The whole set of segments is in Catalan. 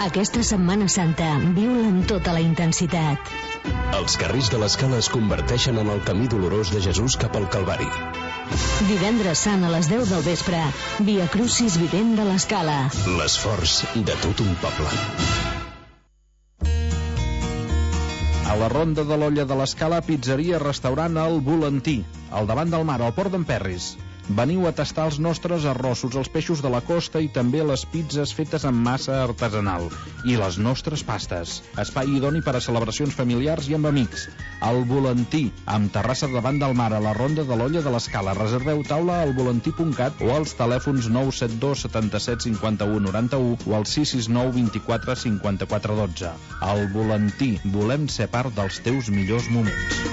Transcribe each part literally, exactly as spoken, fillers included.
Aquesta Setmana Santa viu-la amb tota la intensitat. Els carrers de l'Escala es converteixen en el camí dolorós de Jesús cap al Calvari. Divendres Sant a les deu del vespre, Via Crucis Vivent de l'Escala. L'esforç de tot un poble. A la Ronda de l'Olla de l'Escala, pizzeria restaurant El Volantí, al davant del mar, al Port d'en Perris. Veniu a tastar els nostres arrossos, els peixos de la costa i també les pizzas fetes amb massa artesanal. I les nostres pastes. Espai idoni per a celebracions familiars i amb amics. El Volantí, amb terrassa davant del mar, a la Ronda de l'Olla de l'Escala. Reserveu taula al volantí punt cat o als telèfons nou set dos setanta-set cinquanta-u noranta-u o al sis sis nou vint-i-quatre cinquanta-quatre dotze. El Volantí, volem ser part dels teus millors moments.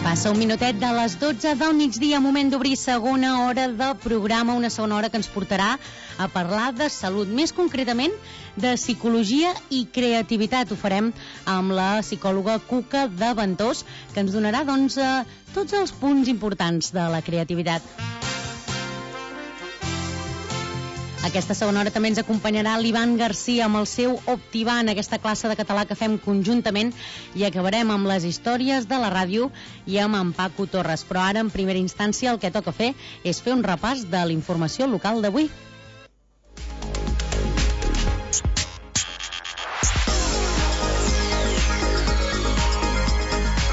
Passa un minutet de les dotze del migdia, moment d'obrir segona hora de programa, una segona hora que ens portarà a parlar de salut, més concretament de psicologia i creativitat. Ho farem amb la psicòloga Cuca de Ventós, que ens donarà doncs, tots els punts importants de la creativitat. Aquesta segona hora també ens acompanyarà l'Ivan Garcia amb el seu Optivan, aquesta classe de català que fem conjuntament, i acabarem amb les històries de la ràdio i amb en Paco Torres. Però ara, en primera instància, el que toca fer és fer un repàs de la informació local d'avui.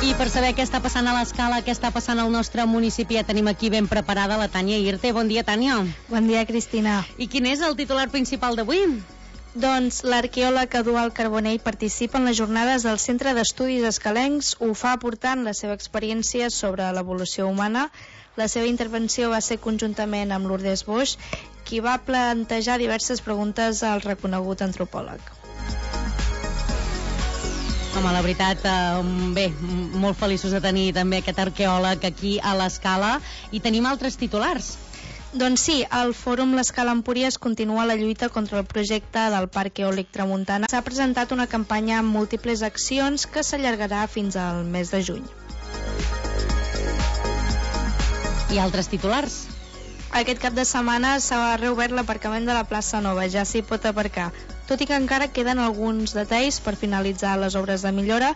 I per saber què està passant a l'Escala, què està passant al nostre municipi, ja tenim aquí ben preparada la Tània Irte. Bon dia, Tània. Bon dia, Cristina. I quin és el titular principal d'avui? Doncs l'arqueòleg Eduard Carbonell participa en les jornades del Centre d'Estudis Escalencs. Ho fa aportant la seva experiència sobre l'evolució humana. La seva intervenció va ser conjuntament amb Lourdes Boix, qui va plantejar diverses preguntes al reconegut antropòleg. Home, la veritat, eh, bé, molt feliços de tenir també aquest arqueòleg aquí a l'Escala, i tenim altres titulars. Doncs sí, al Fòrum l'Escala Empúries continua la lluita contra el projecte del Parc Eòlic Tramuntana. S'ha presentat una campanya amb múltiples accions que s'allargarà fins al mes de juny. I altres titulars? Aquest cap de setmana s'ha reobert l'aparcament de la plaça Nova, ja s'hi pot aparcar. Tot i que encara queden alguns detalls per finalitzar les obres de millora,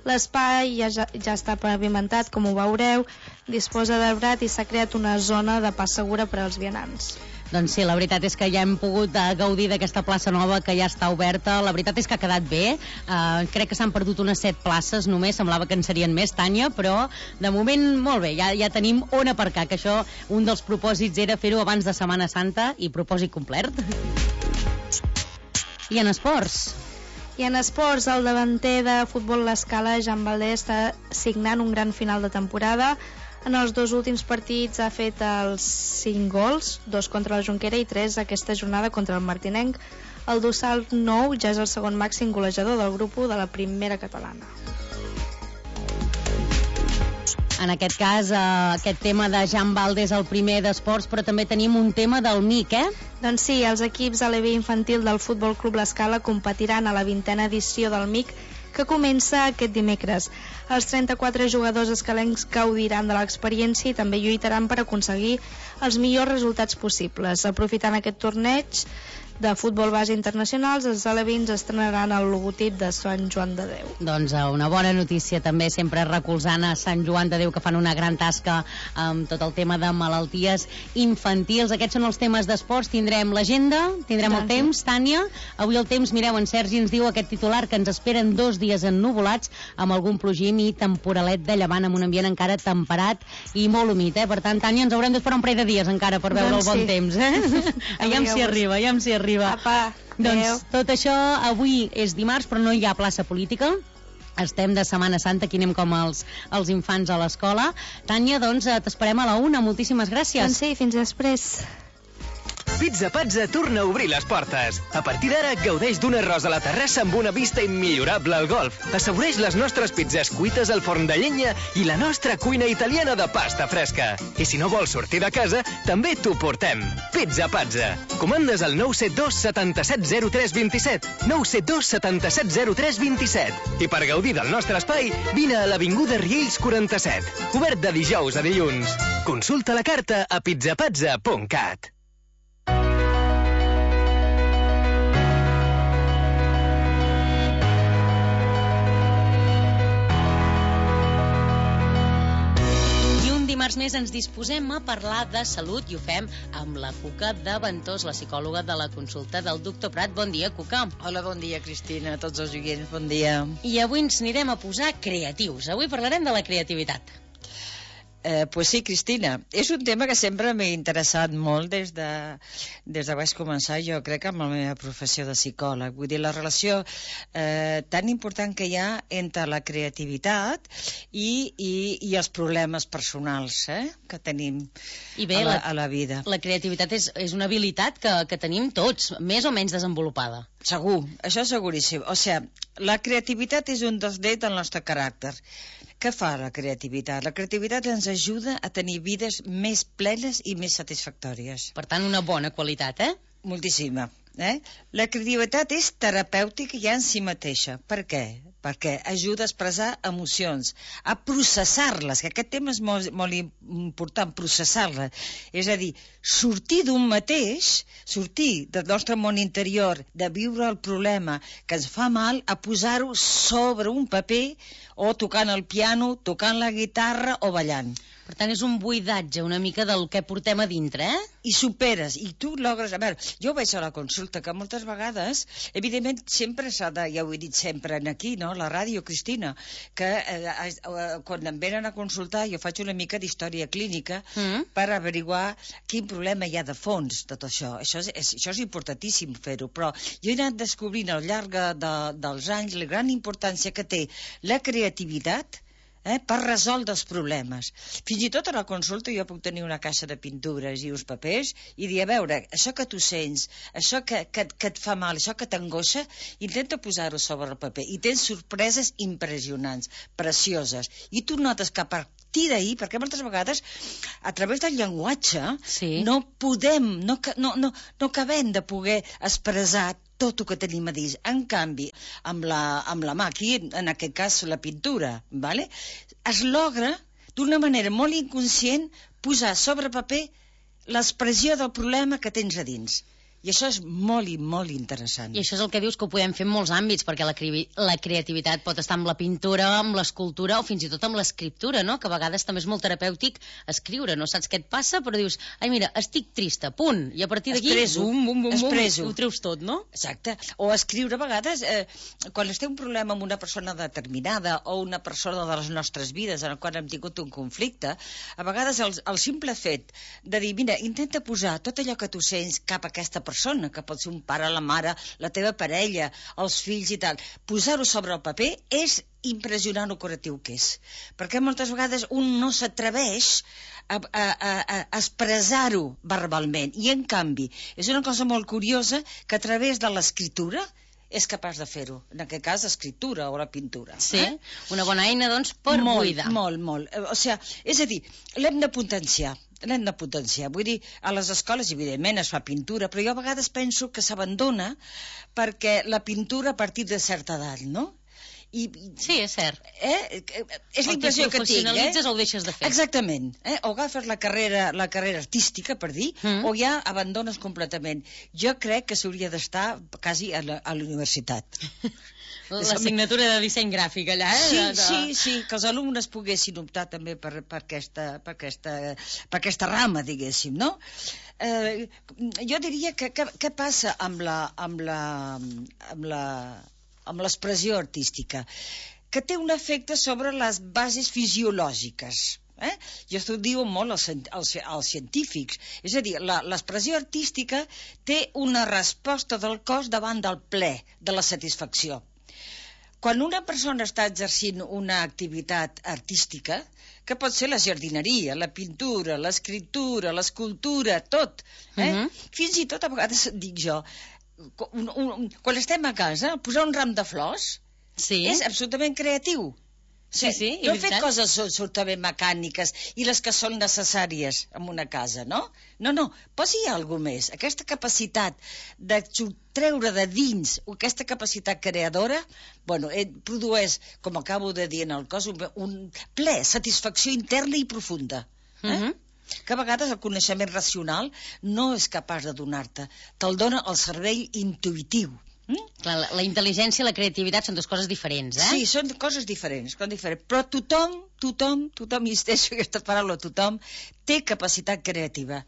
l'espai ja, ja està pavimentat, com ho veureu, disposa d'arbrat i s'ha creat una zona de pas segura per als vianants. Doncs sí, la veritat és que ja hem pogut uh, gaudir d'aquesta plaça nova que ja està oberta. La veritat és que ha quedat bé. Uh, crec que s'han perdut unes set places només, semblava que en serien més, Tània, però de moment molt bé, ja, ja tenim on aparcar, que això, un dels propòsits era fer-ho abans de Setmana Santa, i propòsit complert. I en esports? I en esports, el davanter de futbol l'Escala, Jan Valdés, està signant un gran final de temporada. En els dos últims partits ha fet els cinc gols, dos contra la Jonquera i tres aquesta jornada contra el Martinenc. El dorsal nou ja és el segon màxim golejador del grup u de la primera catalana. En aquest cas, eh, aquest tema de Jan Valdés, el primer d'esports, però també tenim un tema del M I C, eh? Doncs sí, els equips a l'E B infantil del Futbol Club l'Escala competiran a la vintena edició del M I C, que comença aquest dimecres. Els trenta-quatre jugadors escalencs gaudiran de l'experiència i també lluitaran per aconseguir els millors resultats possibles. Aprofitant aquest torneig de futbol base internacionals, els alevins estrenaran el logotip de Sant Joan de Déu. Doncs una bona notícia també, sempre recolzant a Sant Joan de Déu, que fan una gran tasca amb tot el tema de malalties infantils. Aquests són els temes d'esports. Tindrem l'agenda, tindrem el temps, Tània. Avui el temps, mireu, en Sergi ens diu aquest titular que ens esperen dos dies ennuvolats amb algun plogim i temporalet de llevant, amb un ambient encara temperat i molt humit, eh? Per tant, Tània, ens haurem d'esperar un parell de dies encara per veure doncs el bon sí. temps, eh? Aviam si arriba, aviam si arriba. Apa, doncs tot això avui és dimarts, però no hi ha plaça política. Estem de Setmana Santa, aquí anem com els, els infants a l'escola. Tània, doncs t'esperem a la una, moltíssimes gràcies. Doncs sí, fins després. Pizza Pazza torna a obrir les portes. A partir d'ara, gaudeix d'un arròs a la terrassa amb una vista immillorable al golf. Assaboreix les nostres pizzas cuites al forn de llenya i la nostra cuina italiana de pasta fresca. I si no vols sortir de casa, també t'ho portem. Pizza Pazza. Comandes al nou set dos setanta-set zero tres vint-i-set. nou set dos setanta-set zero tres vint-i-set. I per gaudir del nostre espai, vine a l'avinguda Riells quaranta-set. Obert de dijous a dilluns. Consulta la carta a pizzapazza punt cat. Dimarts més ens disposem a parlar de salut i ho fem amb la Cuca de Ventós, la psicòloga de la consulta del doctor Prat. Bon dia, Cuca. Hola, bon dia, Cristina, a tots els oients, bon dia. I avui ens anirem a posar creatius. Avui parlarem de la creativitat. Eh, pues sí, Cristina, és un tema que sempre m'ha interessat molt des de, des de vaig començar, jo crec, amb la meva professió de psicòleg. Vull dir, la relació eh, tan important que hi ha entre la creativitat i, i, i els problemes personals eh, que tenim I bé, a, la, la, a la vida. La creativitat és, és una habilitat que, que tenim tots, més o menys desenvolupada. Segur, això és seguríssim. O sigui, la creativitat és un dels drets del nostre caràcter. Què fa la creativitat? La creativitat ens ajuda a tenir vides més plenes i més satisfactòries. Per tant, una bona qualitat, eh? Moltíssima. Eh? La creativitat és terapèutica ja en si mateixa. Per què? Perquè ajuda a expressar emocions, a processar-les, que aquest tema és molt, molt important, processar-les. És a dir, sortir d'un mateix, sortir del nostre món interior, de viure el problema que ens fa mal, a posar-ho sobre un paper o tocant el piano, tocant la guitarra o ballant. Per tant, és un buidatge una mica del que portem a dintre, eh? I superes, i tu logres... A veure, jo veig a la consulta que moltes vegades, evidentment, sempre s'ha de... Ja ho he dit sempre aquí, no?, la ràdio, Cristina, que eh, eh, quan em venen a consultar jo faig una mica d'història clínica mm. per averiguar quin problema hi ha de fons de tot això. Això és, és, això és importantíssim fer-ho, però jo he anat descobrint al llarg de, dels anys la gran importància que té la creativitat Eh, per resoldre els problemes. Fins i tot a la consulta jo puc tenir una caixa de pintures i uns papers i dir, a veure, això que tu sents, això que, que, que et fa mal, això que t'angoixa, intenta posar-ho sobre el paper. I tens sorpreses impressionants, precioses. I tu notes que a partir d'ahir, perquè moltes vegades a través del llenguatge sí. no podem, no, no, no, no acabem de poder expressar tot el que tenim a dins. En canvi, amb la, amb la mà, aquí, en aquest cas, la pintura, ¿vale? Es logra, d'una manera molt inconscient, posar sobre paper l'expressió del problema que tens a dins. I això és molt i molt interessant. I això és el que dius que ho podem fer en molts àmbits, perquè la, la creativitat pot estar amb la pintura, amb l'escultura o fins i tot amb l'escriptura, no? Que a vegades també és molt terapèutic escriure, no saps què et passa, però dius, ai mira, estic trista, punt, i a partir d'aquí, bum, bum, bum, bum, ho treus tot, no? Exacte. O escriure a vegades, eh, quan es té un problema amb una persona determinada o una persona de les nostres vides en la qual hem tingut un conflicte, a vegades el, el simple fet de dir, mira, intenta posar tot allò que tu sents cap a aquesta persona, persona, que pot ser un pare, la mare, la teva parella, els fills i tal, posar-ho sobre el paper és impressionant el curatiu que és. Perquè moltes vegades un no s'atreveix a, a, a, a expressar-ho verbalment. I en canvi, és una cosa molt curiosa que a través de l'escriptura és capaç de fer-ho. En aquest cas, l'escriptura o la pintura. Sí, eh? Una bona eina, doncs, per molt, buidar. Molt, molt. O sigui, és a dir, l'hem de potenciar. L'hem de potenciar. Vull dir, a les escoles, evidentment, es fa pintura, però jo a vegades penso que s'abandona perquè la pintura a partir de certa edat, no? I, sí, és cert. Eh? És la impressió que tinc. O professionalitzes eh? o ho deixes de fer. Exactament. Eh? O agafes la carrera, la carrera artística, per dir, mm. o ja abandones completament. Jo crec que s'hauria d'estar quasi a la, a la universitat. L'assignatura de disseny gràfic allà, eh? Sí, de, de... sí, sí, que els alumnes poguessin optar també per, per, aquesta, per, aquesta, per aquesta rama, diguéssim, no? Eh, jo diria que què passa amb la, amb la, amb la, amb l'expressió artística? Que té un efecte sobre les bases fisiològiques. Eh? I això ho diuen molt els, els, els científics. És a dir, l'expressió artística té una resposta del cos davant del plaer, de la satisfacció. quan una persona està exercint una activitat artística, que pot ser la jardineria, la pintura, l'escriptura, l'escultura, tot, eh? Uh-huh. Fins i tot, a vegades, dic jo, un, un, quan estem a casa, posar un ram de flors sí. és absolutament creatiu. Sí, sí, no he fet coses absolutament mecàniques i les que són necessàries en una casa, no? No, no, posi alguna més. Aquesta capacitat de treure de dins, aquesta capacitat creadora, bueno, produeix, com acabo de dir en el cos, un, un ple, satisfacció interna i profunda. Eh? Uh-huh. Que a vegades el coneixement racional no és capaç de donar-te. Te'l dona el cervell intuïtiu. Mm? Clar, la, la intel·ligència i la creativitat són dues coses diferents, eh? Sí, són coses diferents, són diferents. Però tothom, tothom, tothom, insisteixo aquesta paraula, tothom, té capacitat creativa.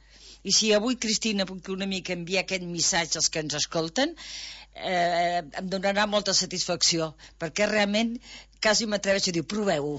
I si avui, Cristina, puc una mica enviar aquest missatge als que ens escolten, eh, em donarà molta satisfacció, perquè realment quasi m'atreveixo a dir, proveu-ho.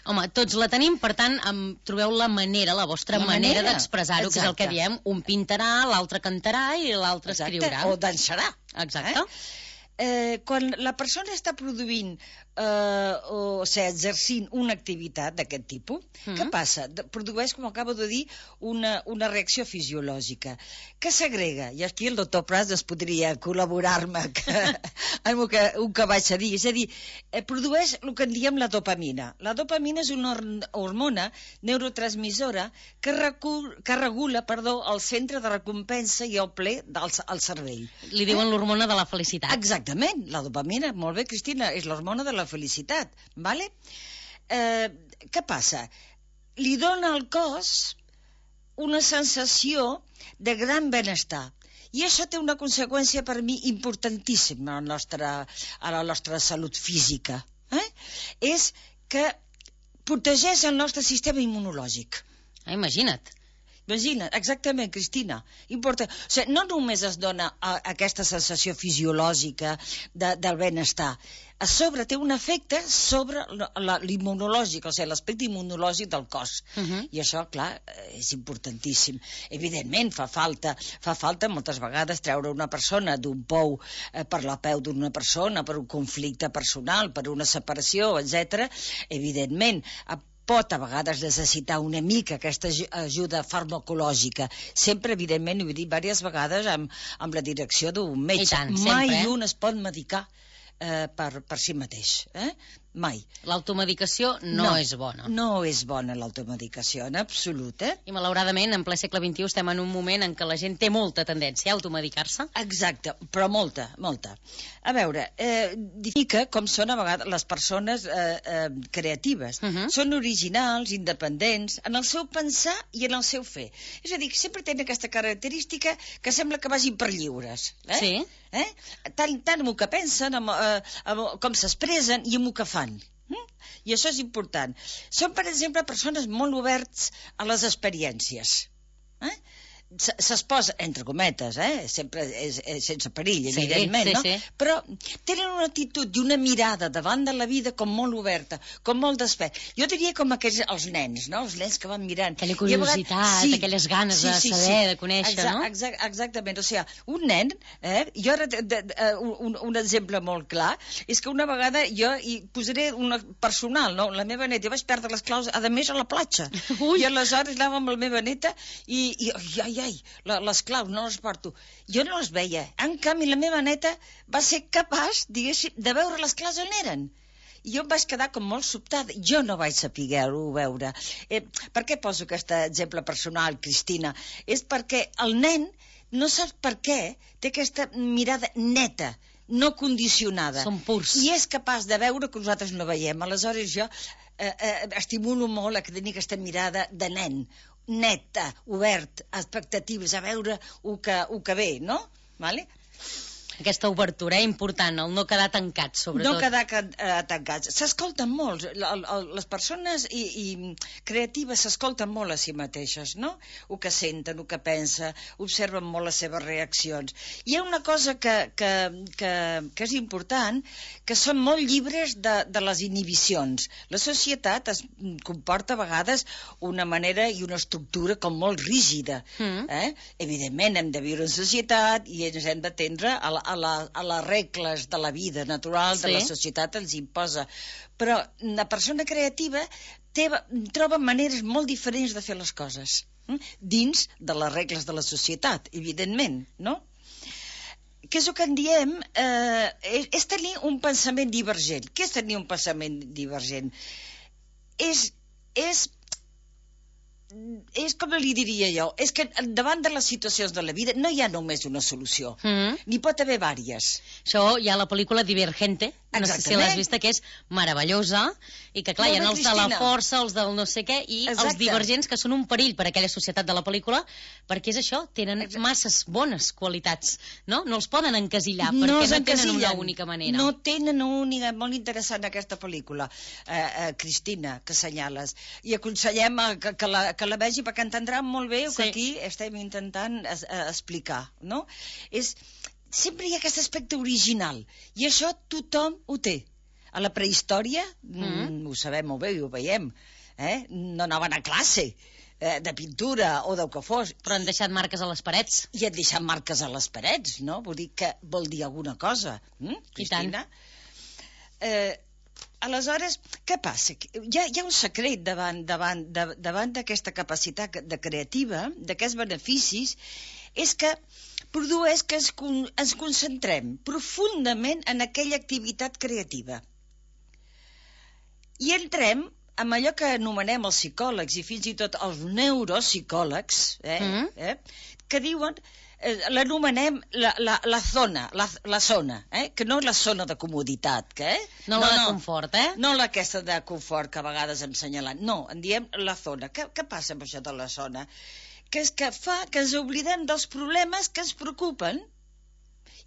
Home, tots la tenim, per tant, em trobeu la manera, la vostra la manera, manera d'expressar-ho, que és el que diem, un pintarà, l'altre cantarà i l'altre escriurà. O dansarà. Exacte. Eh? Eh, quan la persona està produint eh, o, o sigui, exercint una activitat d'aquest tipus, mm. què passa? De, produeix, com acabo de dir, una, una reacció fisiològica que s'agrega, i aquí el doctor Prats es podria col·laborar-me que, amb el que, un que vaig a dir, és a dir, eh, produeix el que en diem la dopamina. La dopamina és una hormona neurotransmissora que, recul, que regula perdó, el centre de recompensa i el ple del el cervell. Li diuen eh? l'hormona de la felicitat. Exacte. Exactament, la dopamina, molt bé, Cristina, és l'hormona de la felicitat, vale? Eh, què passa? Li dona al cos una sensació de gran benestar. I això té una conseqüència per mi importantíssima a la nostra, a la nostra salut física. Eh? És que protegeix el nostre sistema immunològic. Ah, imagina't. Imagina't, exactament, Cristina. Importa. O sigui, no només es dona a, a aquesta sensació fisiològica de, del benestar, a sobre té un efecte sobre l'immunològic, o sigui, l'aspecte immunològic del cos. Uh-huh. I això, clar, és importantíssim. Evidentment, fa falta, fa falta moltes vegades treure una persona d'un pou eh, per la peu d'una persona, per un conflicte personal, per una separació, etcètera. Evidentment, a pot a vegades necessitar una mica aquesta ajuda farmacològica. Sempre, evidentment, ho he dit diverses vegades, amb, amb la direcció d'un metge. Tant, Mai sempre, eh? un es pot medicar eh, per, per si mateix. Eh? Mai. L'automedicació no, no és bona. No és bona l'automedicació, en absolut, eh? I malauradament, en ple segle vint-i-u, estem en un moment en què la gent té molta tendència a automedicar-se. Exacte, però molta, molta. A veure, eh, difica com són a vegades les persones eh, eh, creatives. Uh-huh. Són originals, independents, en el seu pensar i en el seu fer. És a dir, sempre tenen aquesta característica que sembla que vagin per lliures. Eh? Sí. Eh? Tant, tant amb el que pensen, amb, eh, amb com s'expressen i amb el que fan. Mm? I això és important. Són, per exemple, persones molt oberts a les experiències. Eh? S'exposa, entre cometes, eh? Sempre és, és sense perill, sí, evidentment, sí, no? Sí. Però tenen una actitud i una mirada davant de la vida com molt oberta, com molt despert. Jo diria com aquells, els nens, no? Els nens que van mirant. Aquella curiositat, vegades, sí, aquelles ganes sí, sí, de saber, sí. de conèixer, Exact, no? Exact, exactament, o sigui, un nen, eh? Jo ara, de, de, de, un, un exemple molt clar, és que una vegada jo hi posaré una personal, no? La meva neta, jo vaig perdre les claus, a més, a la platja. Ui. I aleshores anava amb la meva neta i, i ai, ai, la, les claus no les porto. Jo no les veia. En canvi, la meva neta va ser capaç, diguéssim, de veure les claus on eren. I jo em vaig quedar com molt sobtada. Jo no vaig saber-ho veure. Eh, per què poso aquest exemple personal, Cristina? És perquè el nen, no sap per què, té aquesta mirada neta, no condicionada. Són purs. I és capaç de veure que nosaltres no veiem. Aleshores jo eh, eh, estimulo molt a tenir aquesta mirada de nen, neta, obert, expectatives, a veure el que, el que ve, no? Vale? Aquesta obertura, eh, important, el no quedar tancats, sobretot. No quedar uh, tancats. S'escolten molt. Les persones i, i creatives s'escolten molt a si mateixes, no? El que senten, el que pensen, observen molt les seves reaccions. Hi ha una cosa que, que, que, que és important, que són molt llibres de, de les inhibicions. La societat es comporta a vegades una manera i una estructura com molt rígida. Mm. Eh? Evidentment, hem de viure en societat i ens hem d'atendre a la a, la, a les regles de la vida natural, de Sí. la societat els imposa. Però la persona creativa té, troba maneres molt diferents de fer les coses, hm? dins de les regles de la societat, evidentment, no? Què és el que en diem? Eh, és, és tenir un pensament divergent. Què és tenir un pensament divergent? És, és, és com li diria jo, és que davant de les situacions de la vida no hi ha només una solució, Mm. n'hi pot haver vàries. Això hi ha la pel·lícula Divergente, no sé si Exactament. l'has vista, que és meravellosa, i que clar, hi ha Molt bé, els de la Cristina. força, els del no sé què, i Exacte. els divergents, que són un perill per a aquella societat de la pel·lícula, perquè és això, tenen Exacte. masses bones qualitats, no? No els poden encasillar, No perquè els no tenen una encasillen. única manera. No tenen una única... Molt interessant aquesta pel·lícula, eh, eh, Cristina, que assenyales. I aconsellem a, que, que, la, que la vegi perquè entendrà molt bé el Sí. que aquí estem intentant es, eh, explicar, no? És, sempre hi ha aquest aspecte original, i això tothom ho té. A la prehistòria, mm. ho sabem molt bé i ho veiem, eh? No anaven a classe eh, de pintura o del que fos, Però han deixat marques a les parets. i et deixen marques a les parets, no? Vull dir que vol dir alguna cosa, hm? Cristina? Eh, aleshores, què passa? Hi ha, hi ha un secret davant davant de, davant d'aquesta capacitat de creativa, d'aquests beneficis, és que produeix que ens, con, ens concentrem profundament en aquella activitat creativa. I entrem amb allò que anomenem els psicòlegs i fins i tot els neuropsicòlegs, eh, Mm. eh, que diuen, eh, l'anomenem la, la, la zona, la, la zona, eh, que no és la zona de comoditat, que, eh? No, la de confort, eh? No la aquesta de confort que a vegades hem senyalat, no, en diem la zona. Què, què passa amb això de la zona? Que és que fa que ens oblidem dels problemes que ens preocupen,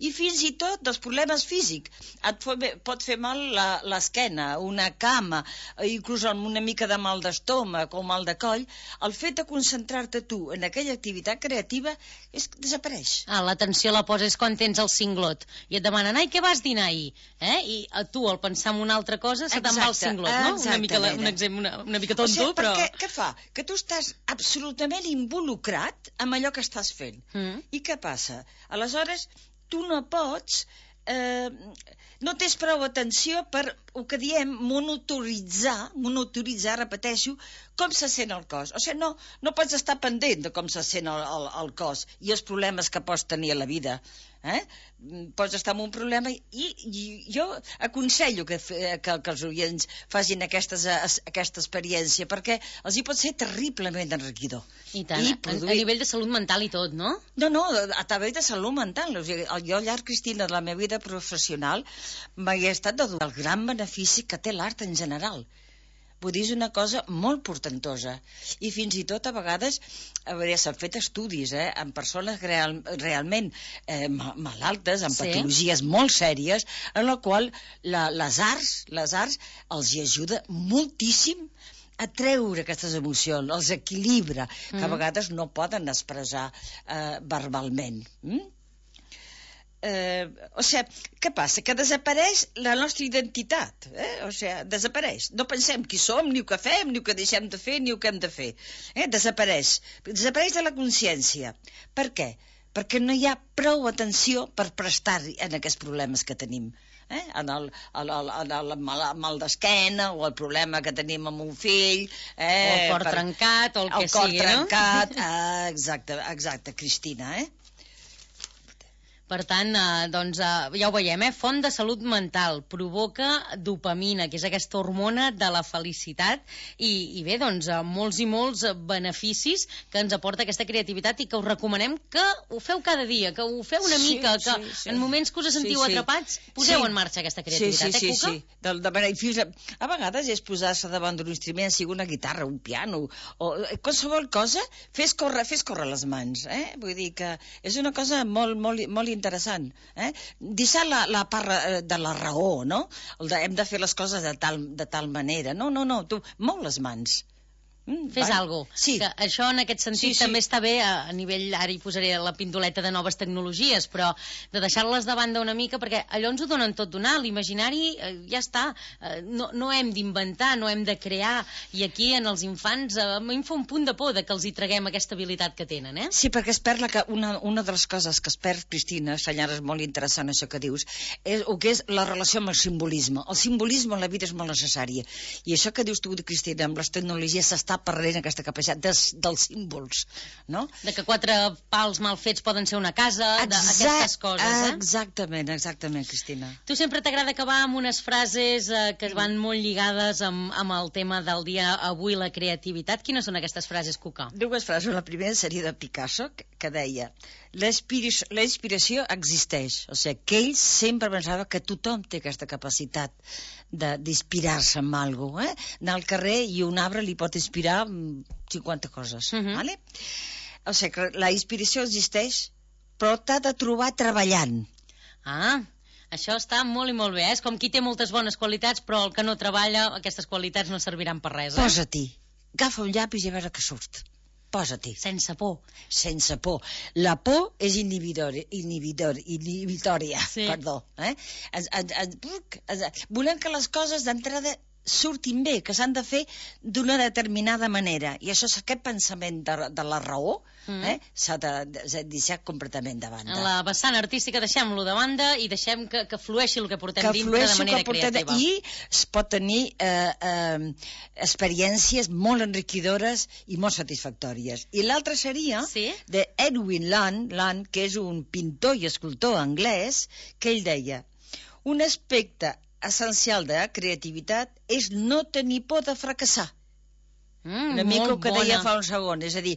i fins i tot dels problemes físics. Et pot fer mal l'esquena, una cama, inclús amb una mica de mal d'estómac o mal de coll. El fet de concentrar-te tu en aquella activitat creativa és que desapareix. Ah, l'atenció la poses quan tens el cinglot i et demanen, ai, què vas dinar ahir? Eh? I a tu, al pensar en una altra cosa, se te'n va el Exacte, cinglot, no? Una mica, la- exactament. un exemple, una, una mica tonto, o sigui, però... perquè, què fa? Que tu estàs absolutament involucrat amb allò que estàs fent. Mm. I què passa? Aleshores, tu no pots... Eh, no tens prou atenció per el que diem monitoritzar, monitoritzar, repeteixo, com se sent el cos. O sigui, no, no pots estar pendent de com se sent el, el, el cos i els problemes que pots tenir a la vida. Eh? Pots estar amb un problema i, i jo aconsello que, que, que els oients facin aquestes, aquesta experiència, perquè els hi pot ser terriblement enriquidor. I tant, I a, produir... a nivell de salut mental i tot, no? No, no, a través de salut mental. O sigui, jo al llarg, Cristina, de la meva vida professional m'he estat de dur el gran benefici que té l'art en general. Vull dir, és una cosa molt portentosa. I fins i tot, a vegades, a veure, s'han fet estudis eh, amb persones real, realment eh, malaltes, amb Sí. patologies molt sèries, en la qual la, les arts, les arts els hi ajuda moltíssim a treure aquestes emocions, els equilibra, que a Mm. vegades no poden expressar eh, verbalment. Mm? Eh, o sigui, què passa? Que desapareix la nostra identitat, eh? O sigui, desapareix. No pensem qui som, ni el que fem, ni el que deixem de fer, ni el que hem de fer. Eh? Desapareix. Desapareix de la consciència. Per què? Perquè no hi ha prou atenció per prestar en aquests problemes que tenim. Eh? En el, el, el, el, el mal, mal d'esquena o el problema que tenim amb un fill, eh? O el cor per- trencat, o el que el cor sigui, no? trencat, ah, exacte, exacte, Cristina, eh? Per tant, eh, doncs, eh, ja ho veiem, eh? Font de salut mental, provoca dopamina, que és aquesta hormona de la felicitat, i, i bé, doncs, eh, molts i molts beneficis que ens aporta aquesta creativitat i que us recomanem que ho feu cada dia, que ho feu una Sí, mica, que sí, sí. en moments que us sentiu Sí, sí. atrapats, poseu Sí. en marxa aquesta creativitat, sí, sí, eh, Cuca? Sí, sí, de, de manera, fins a, a vegades és posar-se davant d'un instrument, sigui una guitarra, un piano, o eh, qualsevol cosa, fes córrer, fes córrer les mans, eh? Vull dir que és una cosa molt, molt, molt interessant, eh? Deixar la, la part eh, de la raó, no? El de, hem de fer les coses de tal, de tal manera. No, no, no, tu, mou les mans. Mm, Fes va. alguna cosa. Sí. Que això, en aquest sentit, Sí, sí. també està bé a, a nivell, ara hi posaré la pindoleta de noves tecnologies, però de deixar-les de banda una mica, perquè allò ens ho donen tot donar, l'imaginari eh, ja està, eh, no, no hem d'inventar, no hem de crear, i aquí en els infants eh, a mi em fa un punt de por de que els hi traguem aquesta habilitat que tenen, eh? Sí, perquè es perd la, que una, una de les coses que es perd, Cristina, senyora, és molt interessant això que dius, és el que és la relació amb el simbolisme. El simbolisme en la vida és molt necessari. I això que dius tu, Cristina, amb les tecnologies s'està perdent aquesta capacitat des, dels símbols, no? De que quatre pals mal fets poden ser una casa, d'aquestes coses, eh? Exactament, exactament, Cristina. Tu sempre t'agrada acabar amb unes frases eh, que es van molt lligades amb, amb el tema del dia avui, la creativitat. Quines són aquestes frases, Cuca? Dues frases. La primera seria de Picasso, que, que deia: la inspiració, la inspiració existeix. O sigui, que ell sempre pensava que tothom té aquesta capacitat d'inspirar-se amb alguna cosa, eh? Anar al carrer i un arbre li pot inspirar cinquanta coses, uh -huh. vale? O sigui, que la inspiració existeix, però t'ha de trobar treballant. Ah, això està molt i molt bé, eh? És com qui té moltes bones qualitats, però el que no treballa, aquestes qualitats no serviran per res, eh? Posa-t'hi, agafa un llapis i a veure què surt. Posa-t'hi. Sense por. Sense por. La por és inhibidora, inhibidor, inhibitòria, sí. Perdó. Eh? Es, es, es, es, volem que les coses d'entrada surtin bé, que s'han de fer d'una determinada manera. I això és aquest pensament de, de la raó, mm. eh? s'ha de, de, de deixar completament de banda. En la vessant artística deixem-lo de banda i deixem que, que flueixi el que portem que dintre de manera creativa. I es pot tenir eh, eh, experiències molt enriquidores i molt satisfactòries. I l'altra seria sí? de Edwin Land, Land, que és un pintor i escultor anglès, que ell deia: un aspecte essencial de la creativitat és no tenir por de fracassar. Mm, Una mica el que bona. deia fa un segon, és a dir,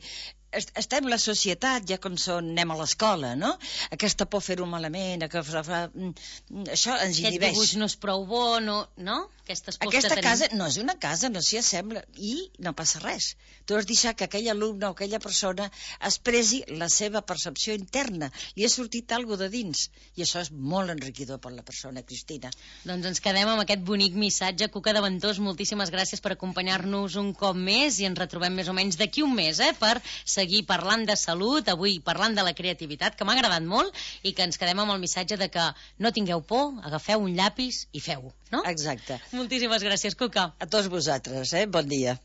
estem la societat, ja com són, anem a l'escola, no? Aquesta por fer-ho malament, que fa, fa, això ens Aquest inhibeix. dibuix no és prou bo, no? no? Aquestes pors Aquesta que tenim. casa no és una casa, no s'hi assembla, i no passa res. Tu has deixat que aquell alumne o aquella persona expressi la seva percepció interna. Li ha sortit alguna de dins, i això és molt enriquidor per la persona, Cristina. Doncs ens quedem amb aquest bonic missatge. Cuca de Ventós, moltíssimes gràcies per acompanyar-nos un cop més i ens retrobem més o menys d'aquí un mes, eh, per seguir parlant de salut, avui parlant de la creativitat, que m'ha agradat molt, i que ens quedem amb el missatge de que no tingueu por, agafeu un llapis i feu-ho, no? Exacte. Moltíssimes gràcies, Cuca. A tots vosaltres, eh? Bon dia.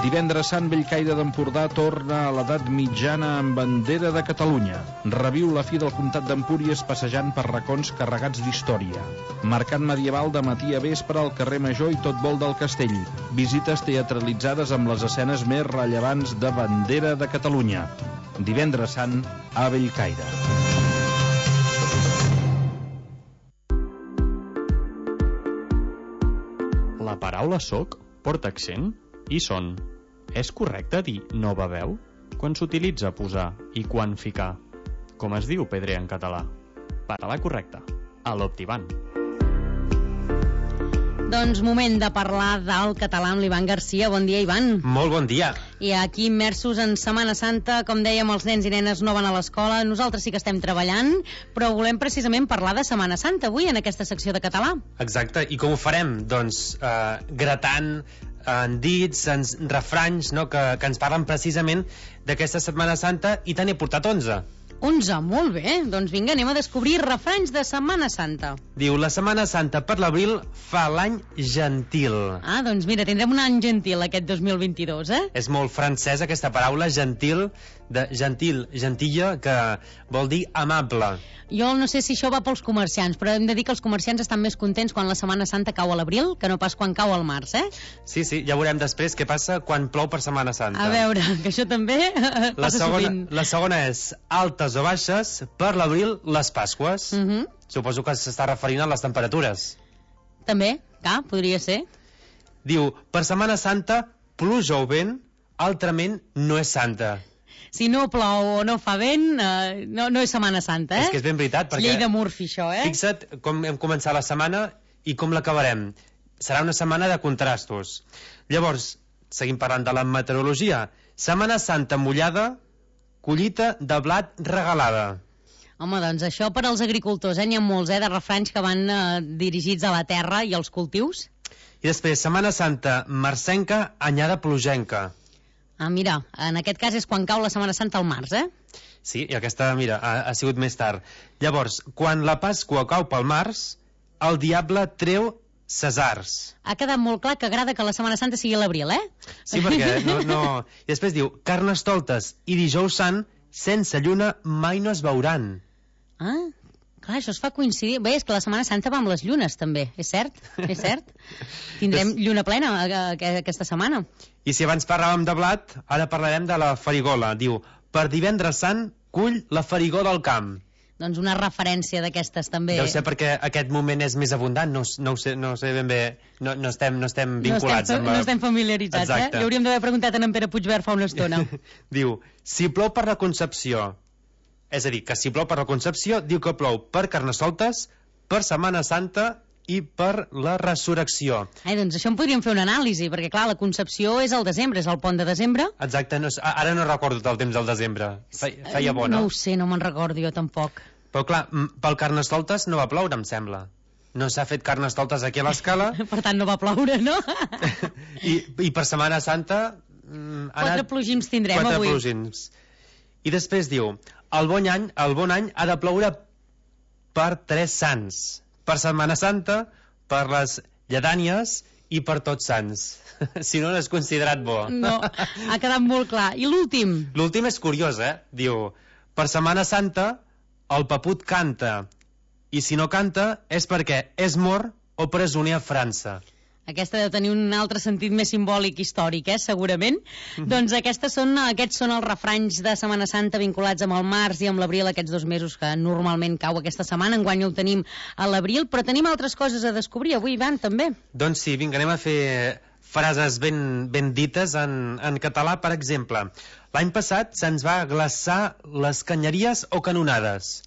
Divendres Sant, Bellcaire d'Empordà torna a l'edat mitjana amb bandera de Catalunya. Reviu la fi del comtat d'Empúries passejant per racons carregats d'història. Mercat medieval de matí a vespre al carrer Major i tot vol del castell. Visites teatralitzades amb les escenes més rellevants de bandera de Catalunya. Divendres Sant a Bellcaire. La paraula soc porta accent i son. És correcte dir nova veu? Quan s'utilitza posar i quan ficar? Com es diu pedrer en català? Català correcte. A l'Optiban. Doncs moment de parlar del català amb l'Ivan Garcia. Bon dia, Ivan. Molt bon dia. I aquí immersos en Setmana Santa, com dèiem, els nens i nenes no van a l'escola, nosaltres sí que estem treballant, però volem precisament parlar de Setmana Santa avui en aquesta secció de català. Exacte, i com ho farem? Doncs eh, gratant en dits, en refranys, no? que, que ens parlen precisament d'aquesta Setmana Santa, i te n'he portat onze. onze, molt bé. Doncs vinga, anem a descobrir refranys de Setmana Santa. Diu, la Setmana Santa per l'abril fa l'any gentil. Ah, doncs mira, tindrem un any gentil aquest dos mil vint-i-dos, eh? És molt francès aquesta paraula, gentil, de gentil, gentilla, que vol dir amable. Jo no sé si això va pels comerciants, però hem de dir que els comerciants estan més contents quan la Setmana Santa cau a l'abril que no pas quan cau al març, eh? Sí, sí, ja veurem després què passa quan plou per Setmana Santa. A veure, que això també la passa segona, sovint. La segona és altes o baixes, per l'abril les Pasques. Uh -huh. Suposo que s'està referint a les temperatures. També, clar, podria ser. Diu, per Setmana Santa, pluja o vent, altrament no és santa. Si no plou o no fa vent, eh, no, no és Setmana Santa, eh? És que és ben veritat, perquè... Llei de Murphy, això, eh? Fixa't com hem començat la setmana i com l'acabarem. Serà una setmana de contrastos. Llavors, seguim parlant de la meteorologia. Setmana Santa mullada, collita de blat regalada. Home, doncs això per als agricultors, eh? N'hi ha molts, eh, de refranys que van eh, dirigits a la terra i als cultius. I després, Setmana Santa marcenca, anyada plogenca. Ah, mira, en aquest cas és quan cau la Setmana Santa al març, eh? Sí, i aquesta, mira, ha, ha sigut més tard. Llavors, quan la Pasqua cau pel març, el diable treu cesars. Ha quedat molt clar que agrada que la Setmana Santa sigui a l'abril, eh? Sí, perquè no, no... I després diu, Carnestoltes i dijous sant, sense lluna mai no es veuran. Ah, clar, això es fa coincidir. Bé, és que la Setmana Santa va amb les llunes, també. És cert? És cert? Tindrem lluna plena aquesta setmana. I si abans parlàvem de blat, ara parlarem de la farigola. Diu, per divendres sant, cull la farigó del camp. Doncs una referència d'aquestes també. Deu ser perquè aquest moment és més abundant, no, no, ho sé, no ho sé ben bé, no, no, estem, no estem vinculats. No estem, amb la... no estem familiaritzats, Exacte. eh? Li hauríem d'haver preguntat a en Pere Puigverd fa una estona. Diu, si plou per la Concepció, és a dir, que si plou per la Concepció, diu que plou per Carnestoltes, per Setmana Santa i per la Resurrecció. Ai, doncs això en podríem fer una anàlisi, perquè clar, la Concepció és al desembre, és el pont de desembre. Exacte, no, ara no recordo tot el temps del desembre. Feia, feia bo, no? No ho sé, no me'n recordo jo tampoc. Però clar, pel Carnestoltes no va ploure, em sembla. No s'ha fet Carnestoltes aquí a l'Escala. Per tant, no va ploure, no? I, I per Setmana Santa... Mm, Quatre anat... plogims tindrem Quatre avui. Quatre plogims. I després diu, el bon any, el bon any ha de ploure per tres sants. Per Setmana Santa, per les lledànies i per tots sants. Si no, no és considerat bo. No, ha quedat molt clar. I l'últim? L'últim és curiós, eh? Diu, per Setmana Santa, el paput canta. I si no canta, és perquè és mort o presoner a França. Aquesta deu tenir un altre sentit més simbòlic històric, eh, segurament. Mm-hmm. Doncs aquestes són, aquests són els refranys de Setmana Santa vinculats amb el març i amb l'abril, aquests dos mesos que normalment cau aquesta setmana. Enguany ho tenim a l'abril, però tenim altres coses a descobrir avui, Ivan, també. Doncs sí, vinga, anem a fer frases ben, ben dites en, en català, per exemple. L'any passat se'ns va glaçar les canyeries o canonades.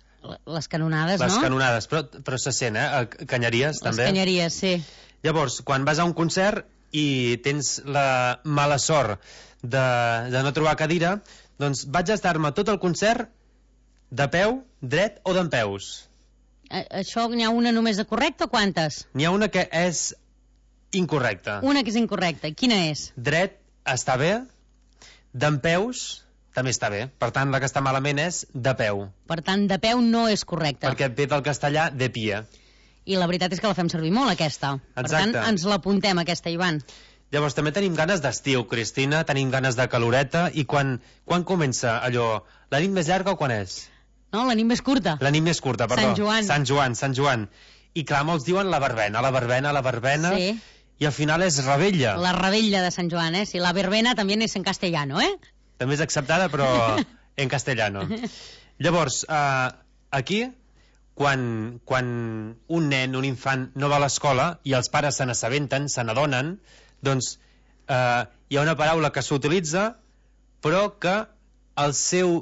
Les canonades, les no? Les canonades, però, però se sent, eh? Canyeries, les també. Les canyeries, sí. Llavors, quan vas a un concert i tens la mala sort de, de no trobar cadira, doncs vaig estar-me tot el concert de peu, dret o dempeus. A això n'hi ha una només de correcta o quantes? N'hi ha una que és incorrecta. Una que és incorrecta. Quina és? Dret està bé, dempeus també està bé. Per tant, la que està malament és de peu. Per tant, de peu no és correcta. Perquè ve del castellà de pie. I la veritat és que la fem servir molt, aquesta. Exacte. Per tant, ens l'apuntem, aquesta, Ivan. Llavors, també tenim ganes d'estiu, Cristina, tenim ganes de caloreta, i quan, quan comença allò? La nit més llarga o quan és? No, la nit més curta. La nit més curta, perdó. Sant Joan. Sant Joan, Sant Joan. I clar, molts diuen la verbena, la verbena, la verbena, sí. I al final és rebella. La rebella de Sant Joan, eh? Si la verbena també és en castellano, eh? També és acceptada, però en castellano. Llavors, eh, aquí... Quan, quan un nen, un infant, no va a l'escola i els pares se n'assabenten, se n'adonen, doncs eh, hi ha una paraula que s'utilitza, però que el seu,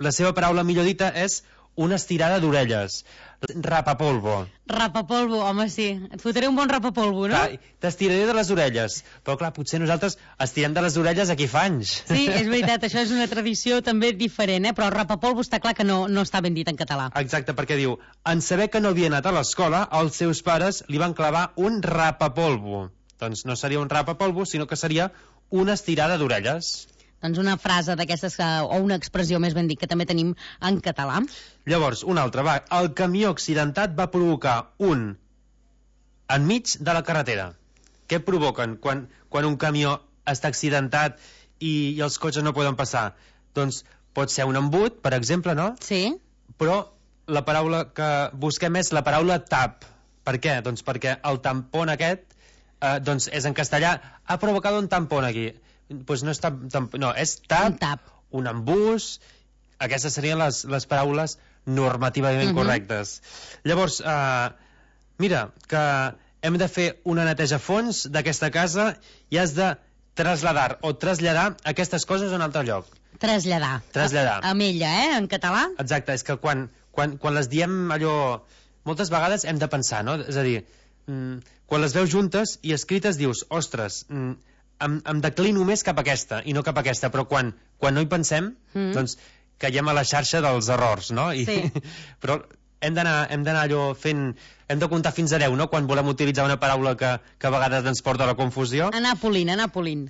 la seva paraula millor dita és una estirada d'orelles. Rapapolvo. Rapapolvo, home, sí. Et fotré un bon rapapolvo, no? T'estiraré de les orelles. Però clar, potser nosaltres estirem de les orelles aquí fa anys. Sí, és veritat, això és una tradició també diferent, eh? Però el rapapolvo està clar que no, no està ben dit en català. Exacte, perquè diu, en saber que no havia anat a l'escola, els seus pares li van clavar un rapapolvo. Doncs no seria un rapapolvo, sinó que seria una estirada d'orelles. Doncs una frase d'aquestes, o una expressió més ben dit, que també tenim en català. Llavors, una altra, va. El camió accidentat va provocar un enmig de la carretera. Què provoquen quan, quan un camió està accidentat i, i els cotxes no poden passar? Doncs pot ser un embut, per exemple, no? Sí. Però la paraula que busquem és la paraula tap. Per què? Doncs perquè el tampon aquest, eh, doncs és en castellà, ha provocat un tampon aquí. Pues no, és tap, tamp, no, és tap, un tap, un embús. Aquestes serien les, les paraules normativament uh-huh. correctes. Llavors, eh, mira, que hem de fer una neteja a fons d'aquesta casa i has de trasladar o traslladar aquestes coses a un altre lloc. Traslladar. Traslladar. A, amb ella, eh, en català. Exacte, és que quan, quan, quan les diem allò... Moltes vegades hem de pensar, no? És a dir, mm, quan les veus juntes i escrites dius, ostres... Mm, Em, em declino més cap a aquesta i no cap a aquesta, però quan, quan no hi pensem mm. doncs caiem a la xarxa dels errors, no? I, sí. Però hem d'anar hem d'anar allò fent... Hem de comptar fins a deu, no?, quan volem utilitzar una paraula que, que a vegades ens porta a la confusió. Anar polint, anar polint.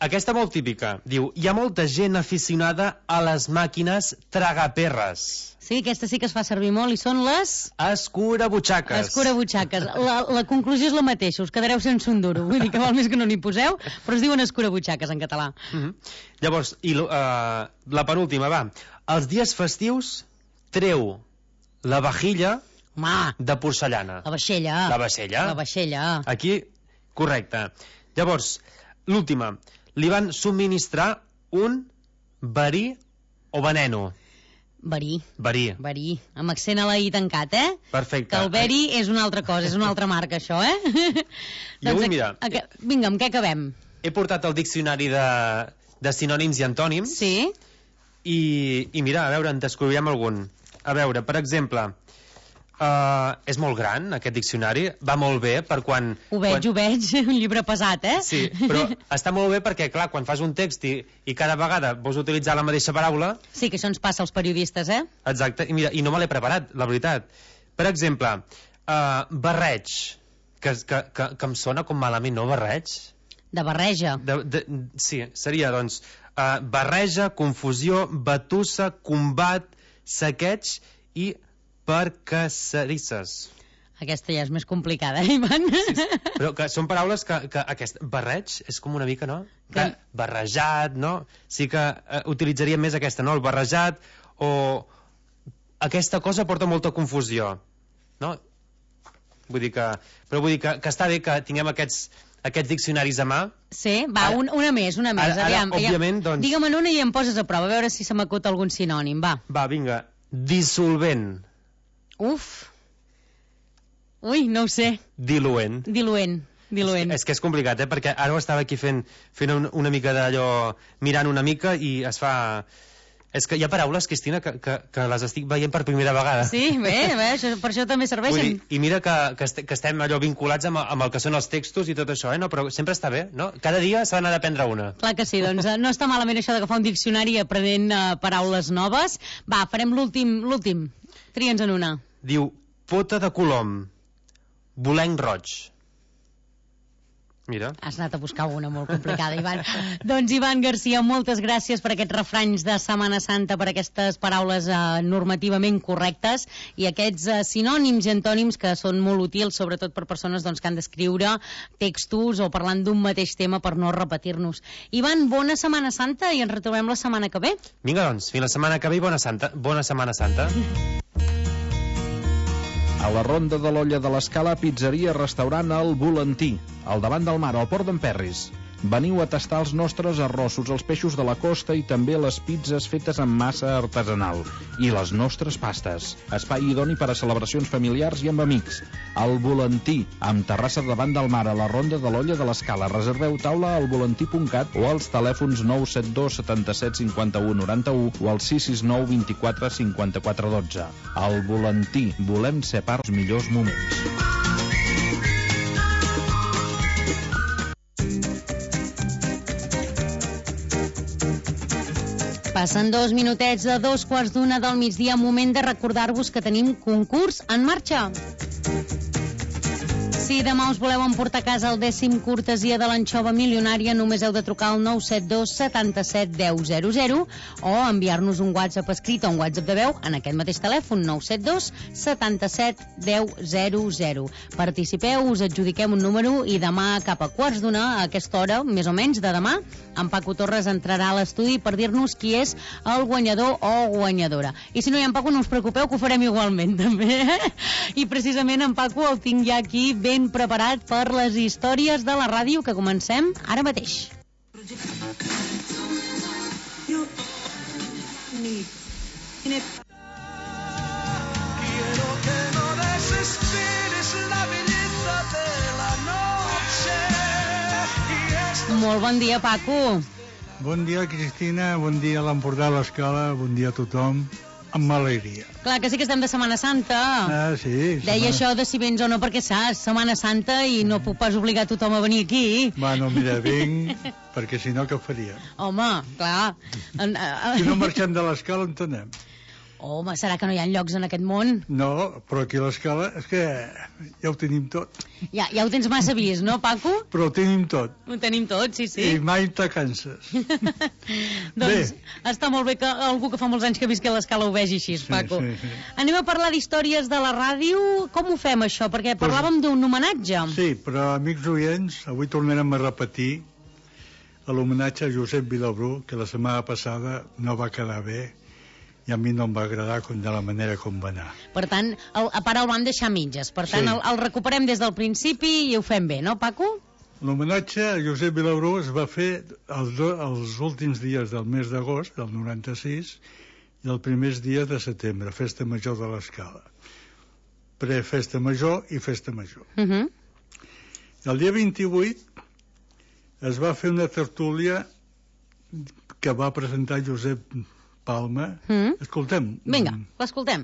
Aquesta molt típica. Diu, hi ha molta gent aficionada a les màquines tragaperres. Sí, aquesta sí que es fa servir molt i són les... Escurabutxaques. Escurabutxaques. La, la conclusió és la mateixa, us quedareu sense un duro. Vull dir que val més que no n'hi poseu, però es diuen escurabutxaques en català. Mm-hmm. Llavors, i, uh, la penúltima, va. Els dies festius treu la vajilla Ma. de porcellana. La vaixella. La vaixella. La vaixella. Aquí, correcte. Llavors, l'última. Li van subministrar un verí o veneno. Verí. Verí. Verí. Amb accent a la i tancat, eh? Perfecte. Que el veri és una altra cosa, és una altra marca, això, eh? I avui, mira... A, a, vinga, amb què acabem? He portat el diccionari de, de sinònims i antònims. Sí. I, i mira, a veure, en descobrirem algun. A veure, per exemple... Uh, és molt gran, aquest diccionari. Va molt bé per quan... Ho veig, quan... ho veig, un llibre pesat, eh? Sí, però està molt bé perquè, clar, quan fas un text i, i cada vegada vols utilitzar la mateixa paraula... Sí, que això ens passa als periodistes, eh? Exacte, i mira, i no me l'he preparat, la veritat. Per exemple, uh, barreig, que, que, que, que em sona com malament, no, barreig? De barreja. De, de, sí, seria, doncs, uh, barreja, confusió, batussa, combat, saqueig i... percacerisses. Aquesta ja és més complicada, eh, Ivan? Sí, sí. Però que són paraules que, que aquest barreig és com una mica, no? Que barrejat, no? Sí que uh, utilitzaria més aquesta, no? El barrejat, o aquesta cosa porta molta confusió, no? Vull dir que... Però vull dir que, que està bé que tinguem aquests, aquests diccionaris a mà. Sí, va, ara, un, una més, una més. Ara, Aviam, ara, òbviament, doncs... Digue'm una i em poses a prova, a veure si se m'acut algun sinònim, va. Va, vinga. Dissolvent. Uf. Ui, no ho sé. Diluent. Diluent. Diluent. És, és que és complicat, eh? Perquè ara ho estava aquí fent, fent un, una mica d'allò, mirant una mica i es fa... És que hi ha paraules, Cristina, que, que, que les estic veient per primera vegada. Sí, bé, bé això, per això també serveixen. Dir, I mira que, que, est que estem allò vinculats amb, amb el que són els textos i tot això, eh? No, però sempre està bé, no? Cada dia s'ha d'anar d'aprendre una. Clar que sí, doncs no està malament això d'agafar un diccionari aprenent uh, paraules noves. Va, farem l'últim, l'últim. Tria'ns en una. Diu, pota de colom, bolenc roig. Mira. Has anat a buscar una molt complicada, Ivan. Doncs, Ivan Garcia, moltes gràcies per aquests refranys de Setmana Santa, per aquestes paraules eh, normativament correctes i aquests eh, sinònims i antònims que són molt útils, sobretot per persones doncs, que han d'escriure textos o parlant d'un mateix tema per no repetir-nos. Ivan, bona Setmana Santa i ens retrobem la setmana que ve. Vinga, doncs, fins la setmana que ve i bona, Santa, bona Setmana Santa. A la Ronda de l'Olla de l'Escala, pizzeria, restaurant El Volantí, al davant del mar, al Port d'Emperris. Veniu a tastar els nostres arrossos, els peixos de la costa i també les pizzas fetes amb massa artesanal. I les nostres pastes. Espai idoni per a celebracions familiars i amb amics. El Volantí, amb terrassa davant del mar, a la Ronda de l'Olla de l'Escala. Reserveu taula al volantí punt cat o als telèfons nou set dos setanta-set cinquanta-u noranta-u o al sis sis nou vint-i-quatre cinquanta-quatre dotze. El Volantí, volem ser part dels millors moments. Passen dos minutets de dos quarts d'una del migdia, moment de recordar-vos que tenim concurs en marxa. Si demà us voleu emportar a casa el dècim cortesia de l'anxova milionària, només heu de trucar al nou set dos setanta-set deu zero zero o enviar-nos un WhatsApp escrit o un WhatsApp de veu en aquest mateix telèfon, nou set dos setanta-set deu zero zero. Participeu, us adjudiquem un número i demà cap a quarts d'una, a aquesta hora, més o menys de demà, en Paco Torres entrarà a l'estudi per dir-nos qui és el guanyador o guanyadora. I si no hi ha en Paco, no us preocupeu, que ho farem igualment, també. I precisament en Paco el tinc ja aquí ben preparat per les històries de la ràdio que comencem ara mateix. Molt bon dia, Paco. Bon dia, Cristina, bon dia a l'Empordà, a l'Escala, bon dia a tothom, amb alegria. Clar que sí que estem de Setmana Santa. Ah, sí. Deia setmana... això de si vens o no, perquè saps, Setmana Santa i no puc pas obligar tothom a venir aquí. Bueno, mira, vinc, perquè si no, què faria? Home, clar. En, si no marxem de l'Escala, on anem? Home, serà que no hi ha llocs en aquest món? No, però aquí a l'Escala és que ja ho tenim tot. Ja, ja ho tens massa vist, no, Paco? Però ho tenim tot. Ho tenim tot, sí, sí. I mai te canses. Doncs està molt bé que algú que fa molts anys que visqui a l'Escala ho vegi així, Paco. Sí, sí, sí. Anem a parlar d'històries de la ràdio. Com ho fem, això? Perquè parlàvem d'un homenatge. Sí, però, amics oients, avui tornarem a repetir l'homenatge a Josep Vilabrú, que la setmana passada no va quedar bé i a mi no em va agradar com de la manera com va anar. Per tant, el, a part el van deixar a mitges. Per tant, sí. el, el recuperem des del principi i ho fem bé, no, Paco? L'homenatge a Josep Vilabrú es va fer els, do, els últims dies del mes d'agost, del noranta-sis, i els primers dies de setembre, Festa Major de l'Escala. Pre-Festa Major i Festa Major. Uh -huh. El dia vint-i-vuit es va fer una tertúlia que va presentar Josep Palma. Mm. Escoltem. Vinga, l'escoltem.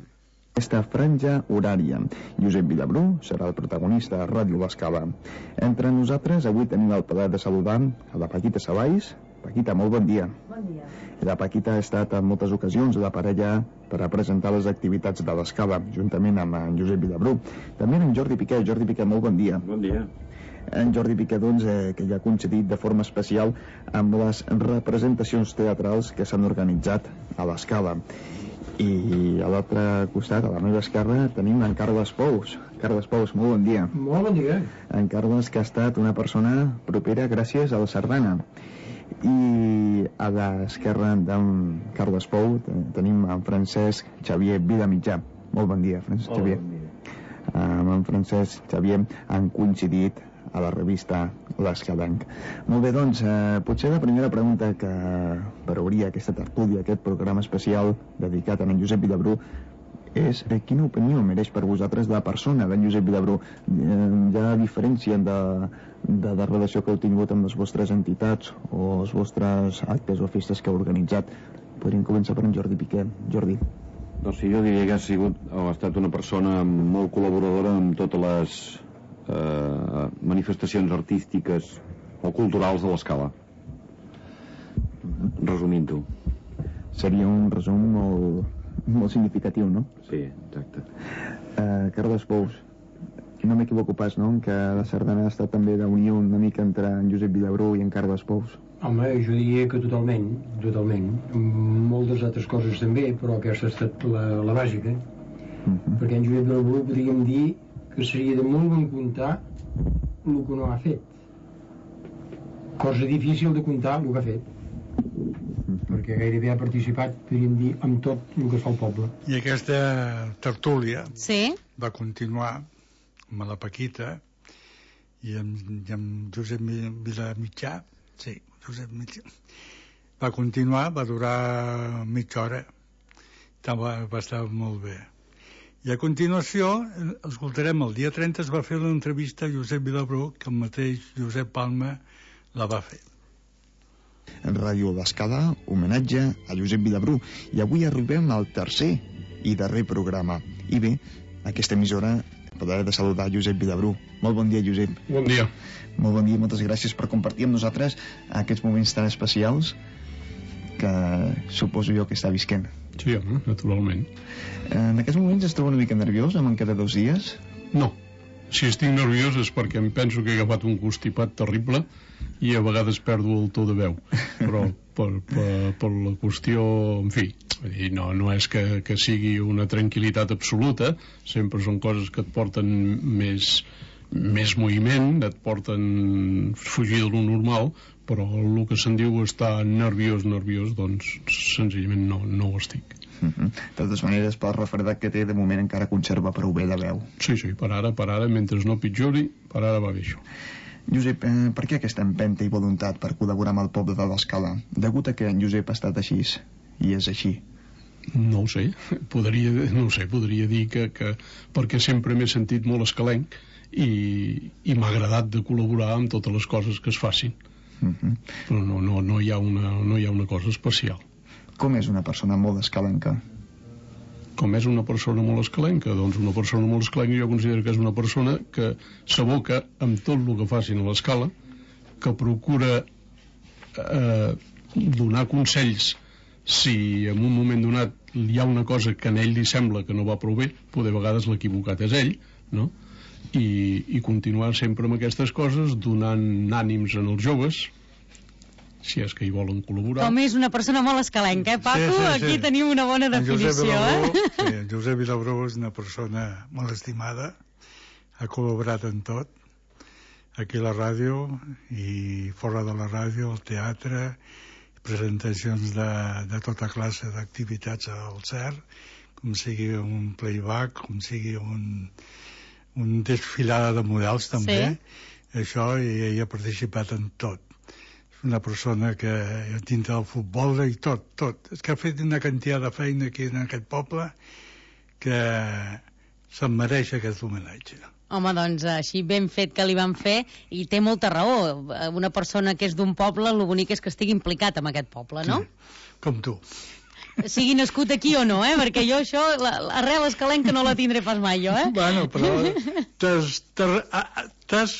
Aquesta franja horària. Josep Vilabrú serà el protagonista de Ràdio L'Escala. Entre nosaltres avui tenim el plaer de saludar a la Paquita Salais. Paquita, molt bon dia. Bon dia. La Paquita ha estat en moltes ocasions la parella per a presentar les activitats de l'Escala, juntament amb en Josep Vilabrú. També en Jordi Piqué. Jordi Piqué, molt bon dia. Bon dia. En Jordi Piqué, doncs, eh, que ja ha coincidit de forma especial amb les representacions teatrals que s'han organitzat a l'Escala. I a l'altre costat, a la meva esquerra, tenim en Carles Pous. Carles Pous, molt bon dia. Molt bon dia. En Carles, que ha estat una persona propera gràcies a la sardana. I a l'esquerra d'en Carles Pou tenim en Francesc Xavier Vilamitjà. Molt bon dia, Francesc Hola, Xavier. Bon dia. Amb en Francesc Xavier han coincidit a la revista L'Escalenc. Molt bé, doncs, eh, potser la primera pregunta que per obrir aquesta tertúlia, aquest programa especial dedicat a en Josep Vilabrú, és eh, quina opinió mereix per vosaltres la persona d'en Josep Vilabrú? Eh, hi ha diferència de, de la relació que heu tingut amb les vostres entitats o els vostres actes o festes que heu organitzat? Podríem començar per en Jordi Piqué. Jordi. Doncs sí, jo diria que ha sigut o ha estat una persona molt col·laboradora amb totes les eh, manifestacions artístiques o culturals de l'Escala. Resumint-ho. Seria un resum molt, molt significatiu, no? Sí, exacte. Uh, Carles Pous, no m'equivoco pas, no?, que la sardana ha estat també d'unió una mica entre en Josep Vilabrú i en Carles Pous. Home, jo diria que totalment, totalment. Moltes altres coses també, però aquesta ha estat la, la bàsica. Uh-huh. Perquè en Josep Vilabrú podríem dir que seria de molt bon comptar el que no ha fet. Cosa difícil de comptar el que ha fet. Uh-huh. Perquè gairebé ha participat, podríem dir, amb tot el que es fa al poble. I aquesta tertúlia sí? va continuar amb la Paquita i amb, i amb Josep Vilamitjà. Sí, Josep Mitjà. Va continuar, va durar mitja hora. Va, va estar molt bé. I a continuació, escoltarem, el dia trenta es va fer una entrevista a Josep Vilabrú, que el mateix Josep Palma la va fer. En Ràdio L'Escala, homenatge a Josep Vilabrú. I avui arribem al tercer i darrer programa. I bé, aquesta emissora podrà de saludar Josep Vilabrú. Molt bon dia, Josep. Bon dia. Molt bon dia, moltes gràcies per compartir amb nosaltres aquests moments tan especials que suposo jo que està visquent. Sí, home, naturalment. En aquests moments es troba una mica nerviós, amb encara dos dies? No. Si estic nerviós és perquè em penso que he agafat un constipat terrible i a vegades perdo el to de veu. Però per, per, per la qüestió, en fi, no, no és que, que sigui una tranquil·litat absoluta, sempre són coses que et porten més, més moviment, et porten fugir de lo normal, però el que se'n diu estar nerviós, nerviós, doncs senzillament no, no ho estic. Uh-huh. De totes maneres, pel refredat que té, de moment encara conserva prou bé la veu. Sí, sí, per ara, per ara, mentre no pitjori, per ara va bé això. Josep, eh, per què aquesta empenta i voluntat per col·laborar amb el poble de l'Escala? Degut a que en Josep ha estat així, i és així. No ho sé, podria, no ho sé, podria dir que, que perquè sempre m'he sentit molt escalenc i, i m'ha agradat de col·laborar amb totes les coses que es facin. Uh-huh. Però no, no, no, hi ha una, no hi ha una cosa especial. Com és una persona molt escalenca? Com és una persona molt escalenca? Doncs una persona molt escalenca jo considero que és una persona que s'aboca amb tot el que facin a l'Escala, que procura eh, donar consells si en un moment donat hi ha una cosa que a ell li sembla que no va prou bé, poder a vegades l'equivocat és ell, no? I, i continuar sempre amb aquestes coses, donant ànims en els joves, si és que hi volen col·laborar. Com és una persona molt escalenca, eh, Paco? Sí, sí, sí. Aquí tenim una bona definició, Vilabrú, eh? Sí, en Josep Vilabrú és una persona molt estimada, ha col·laborat en tot, aquí a la ràdio i fora de la ràdio, al teatre, presentacions de, de tota classe d'activitats al C E R, com sigui un playback, com sigui un, un desfilada de models també, sí. Això, i ell ha participat en tot. És una persona que dintre del futbol i tot, tot. És que ha fet una quantitat de feina aquí en aquest poble que se'n mereix aquest homenatge. Home, doncs així ben fet que li van fer, i té molta raó. Una persona que és d'un poble, el bonic és que estigui implicat en aquest poble, no? Sí, com tu. Sigui nascut aquí o no, eh? Perquè jo això, l'arrel escalenca no la tindré pas mai, jo, eh? Bueno, però t'has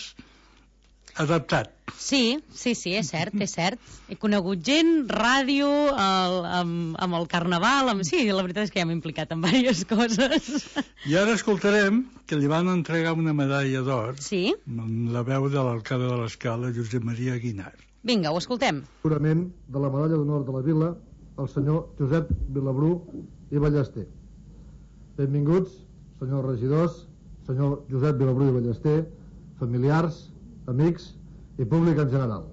adaptat. Sí, sí, sí, és cert, és cert. He conegut gent, ràdio, el, amb, amb el carnaval, amb... sí, la veritat és que ja m'he implicat en diverses coses. I ara escoltarem que li van entregar una medalla d'or, sí? amb la veu de l'alcalde de l'Escala, Josep Maria Guinar. Vinga, ho escoltem. Jurament de la medalla d'honor de la vila, el senyor Josep Vilabrú i Ballester. Benvinguts, senyors regidors, senyor Josep Vilabrú i Ballester, familiars, amics i públic en general.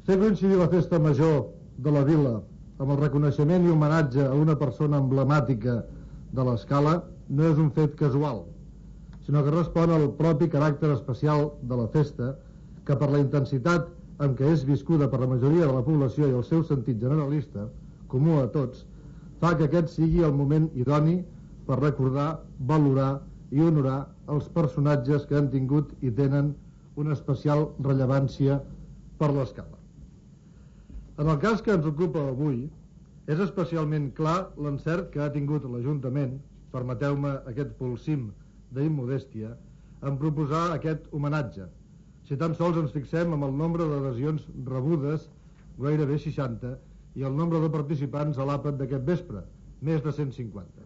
Fer coincidir la festa major de la vila amb el reconeixement i homenatge a una persona emblemàtica de l'Escala no és un fet casual, sinó que respon al propi caràcter especial de la festa, que per la intensitat amb què és viscuda per la majoria de la població i el seu sentit generalista, comú a tots, fa que aquest sigui el moment idoni per recordar, valorar i honorar els personatges que han tingut i tenen una especial rellevància per l'Escala. En el cas que ens ocupa avui, és especialment clar l'encert que ha tingut l'Ajuntament, permeteu-me aquest polsim d'immodèstia, en proposar aquest homenatge. Si tan sols ens fixem amb el nombre d'adhesions rebudes, gairebé seixanta, i el nombre de participants a l'àpat d'aquest vespre, més de cent cinquanta.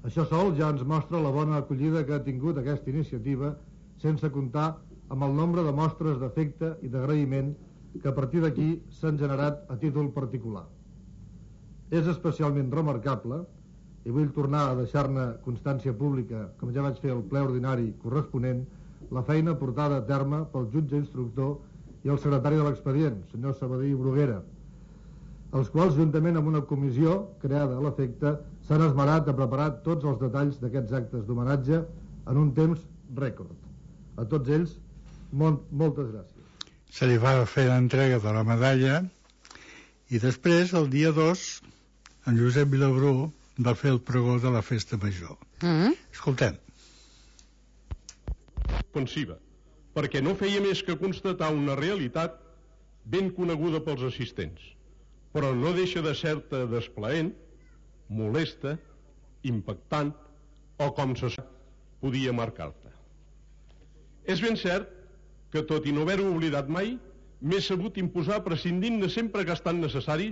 Això sol ja ens mostra la bona acollida que ha tingut aquesta iniciativa, sense comptar amb el nombre de mostres d'afecte i d'agraïment que a partir d'aquí s'han generat a títol particular. És especialment remarcable, i vull tornar a deixar-ne constància pública, com ja vaig fer al ple ordinari corresponent, la feina portada a terme pel jutge instructor i el secretari de l'expedient, senyor Sabadell Bruguera, els quals, juntament amb una comissió creada a l'efecte, s'han esmerat a preparar tots els detalls d'aquests actes d'homenatge en un temps rècord. A tots ells, molt, moltes gràcies. Se li va fer l'entrega de la medalla i després, el dia dos, en Josep Vilabrú va fer el pregó de la festa major. Mm. Escoltem. Ofensiva, perquè no feia més que constatar una realitat ben coneguda pels assistents, però no deixa de ser-te desplaent, molesta, impactant o, com se sap, podia marcar-te. És ben cert que, tot i no haver-ho oblidat mai, m'he sabut imposar prescindint-ne sempre que ha estat necessari,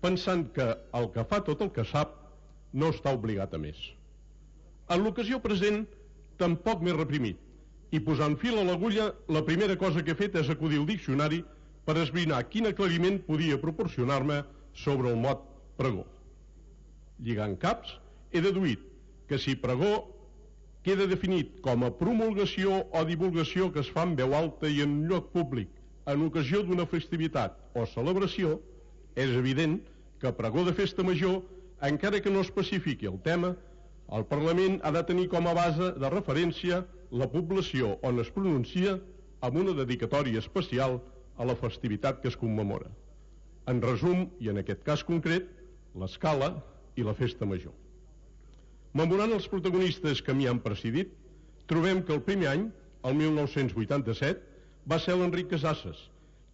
pensant que el que fa tot el que sap no està obligat a més. En l'ocasió present tampoc m'he reprimit, i posant fil a l'agulla, la primera cosa que he fet és acudir al diccionari per esbrinar quin aclariment podia proporcionar-me sobre el mot pregó. Lligant caps, he deduït que si pregó queda definit com a promulgació o divulgació que es fa en veu alta i en un lloc públic en ocasió d'una festivitat o celebració, és evident que pregó de festa major, encara que no especifiqui el tema, el Parlament ha de tenir com a base de referència la població on es pronuncia amb una dedicatòria especial a la festivitat que es commemora. En resum, i en aquest cas concret, l'Escala i la festa major. Memorant els protagonistes que m'hi han precedit, trobem que el primer any, el mil nou-cents vuitanta-set, va ser l'Enric Casasses,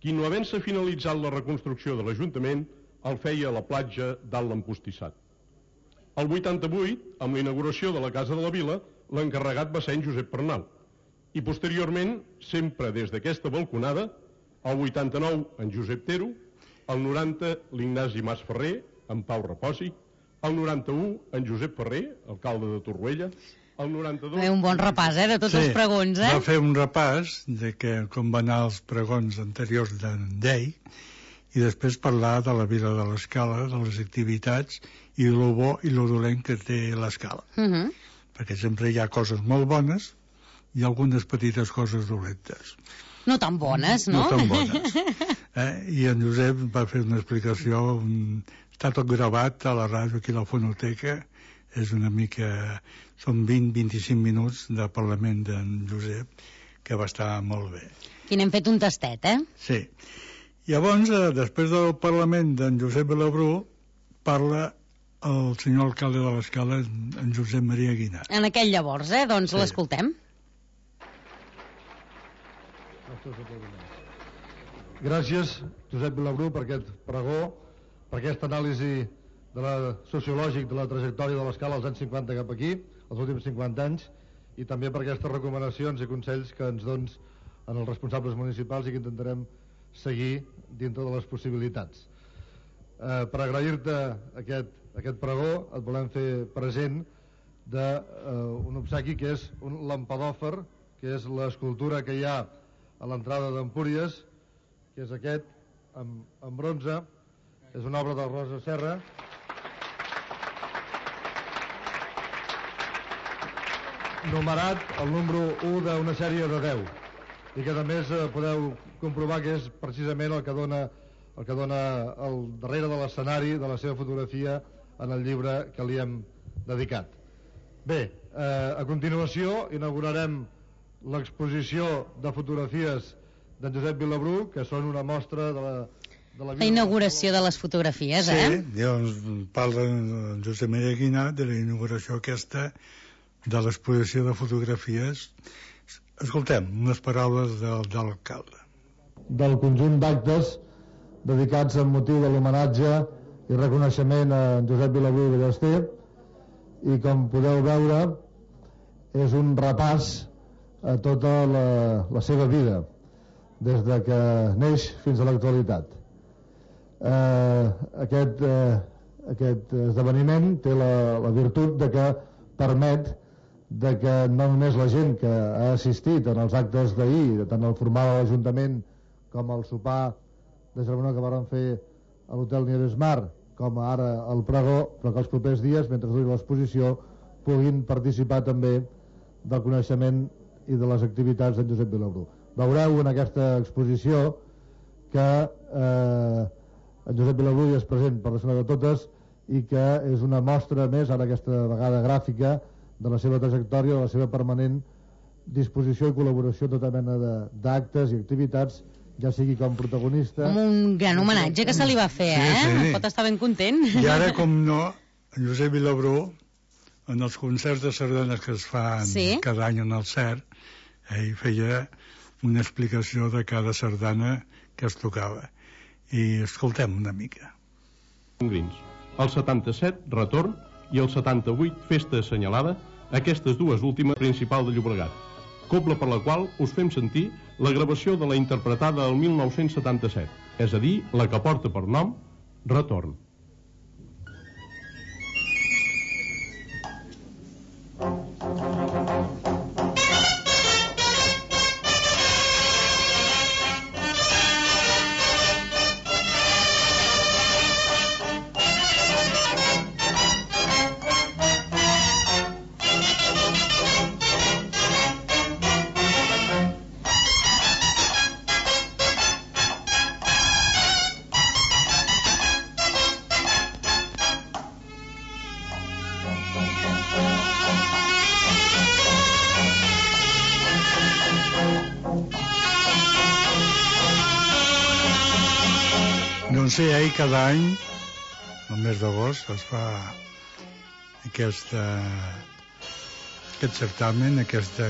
qui, no havent-se finalitzat la reconstrucció de l'Ajuntament, el feia a la platja dalt l'Empostissat. El vuitanta-vuit, amb la inauguració de la Casa de la Vila, l'encarregat va ser en Josep Pernau, i posteriorment, sempre des d'aquesta balconada, el vuitanta-nou en Josep Tero, el noranta l'Ignasi Mas Ferrer, en Pau Reposi, el noranta-u, en Josep Ferrer, alcalde de Torroella, el noranta-dos... Bé, un bon repàs, eh, de tots sí, els pregons, eh? Va fer un repàs de que, com van anar els pregons anteriors d'en Llei, i després parlar de la vida de l'Escala, de les activitats, i lo bo i lo dolent que té l'Escala. Uh -huh. Perquè sempre hi ha coses molt bones i algunes petites coses dolentes. No tan bones, no? No tan bones. Eh? I en Josep va fer una explicació, un... està tot gravat a la ràdio aquí a la fonoteca, és una mica... són vint a vint-i-cinc minuts de parlament d'en Josep, que va estar molt bé. Aquí n'hem fet un tastet, eh? Sí. Llavors, eh, després del parlament d'en Josep Vilabrú, parla el senyor alcalde de l'Escala, en Josep Maria Guinart. En aquell llavors, eh? Doncs sí. L'escoltem. Gràcies, Josep Vilabrú, per aquest pregó, per aquesta anàlisi de la sociològic de la trajectòria de l'Escala als anys cinquanta cap aquí, els últims cinquanta anys, i també per aquestes recomanacions i consells que ens dons en els responsables municipals i que intentarem seguir dintre de les possibilitats. Eh, per agrair-te aquest, aquest pregó et volem fer present d'un eh, obsequi que és un lampadòfer, que és l'escultura que hi ha a l'entrada d'Empúries, que és aquest, en, en bronze, és una obra del Rosa Serra, numerat el número u d'una sèrie de deu, i que a més eh, podeu comprovar que és precisament el que dona el que dona el darrere de l'escenari de la seva fotografia en el llibre que li hem dedicat. Bé, eh, a continuació inaugurarem l'exposició de fotografies d'en Josep Vilabrú, que són una mostra de la, de la vida... La inauguració de les fotografies, sí, eh? Sí, llavors parla en Josep Maria Guinart de la inauguració aquesta de l'exposició de fotografies. Escoltem unes paraules de, de l'alcalde. Del conjunt d'actes dedicats amb motiu de l'homenatge i reconeixement a Josep Vilabrú i Ballester, i com podeu veure és un repàs a tota la, la seva vida des de que neix fins a l'actualitat. Eh, aquest, eh, aquest esdeveniment té la, la virtut de que permet de que no només la gent que ha assistit en els actes d'ahir, tant el formal de l'Ajuntament com el sopar de germanor que varen fer a l'hotel Nieves Mar, com ara el pregó, però que els propers dies, mentre duri l'exposició, puguin participar també del coneixement i de les activitats d'en Josep Vilabrú. Veureu en aquesta exposició que eh, en Josep Vilabrú hi és present per la zona de totes i que és una mostra més, ara aquesta vegada gràfica, de la seva trajectòria, de la seva permanent disposició i col·laboració a tota mena d'actes i activitats, ja sigui com protagonista... Com un gran homenatge que se li va fer, eh? Sí, sí. Pot estar ben content. I ara, com no, en Josep Vilabrú, en els concerts de sardanes que es fan sí? cada any en el C E R, ell feia una explicació de cada sardana que es tocava. I escoltem una mica. El setanta-set, retorn, i el setanta-vuit, festa assenyalada, aquestes dues últimes principal de Llobregat, cobla per la qual us fem sentir la gravació de la interpretada el mil nou-cents setanta-set, és a dir, la que porta per nom Retorn. Doncs sí, ahir cada any, el mes d'agost, es fa aquesta, aquest certamen, aquesta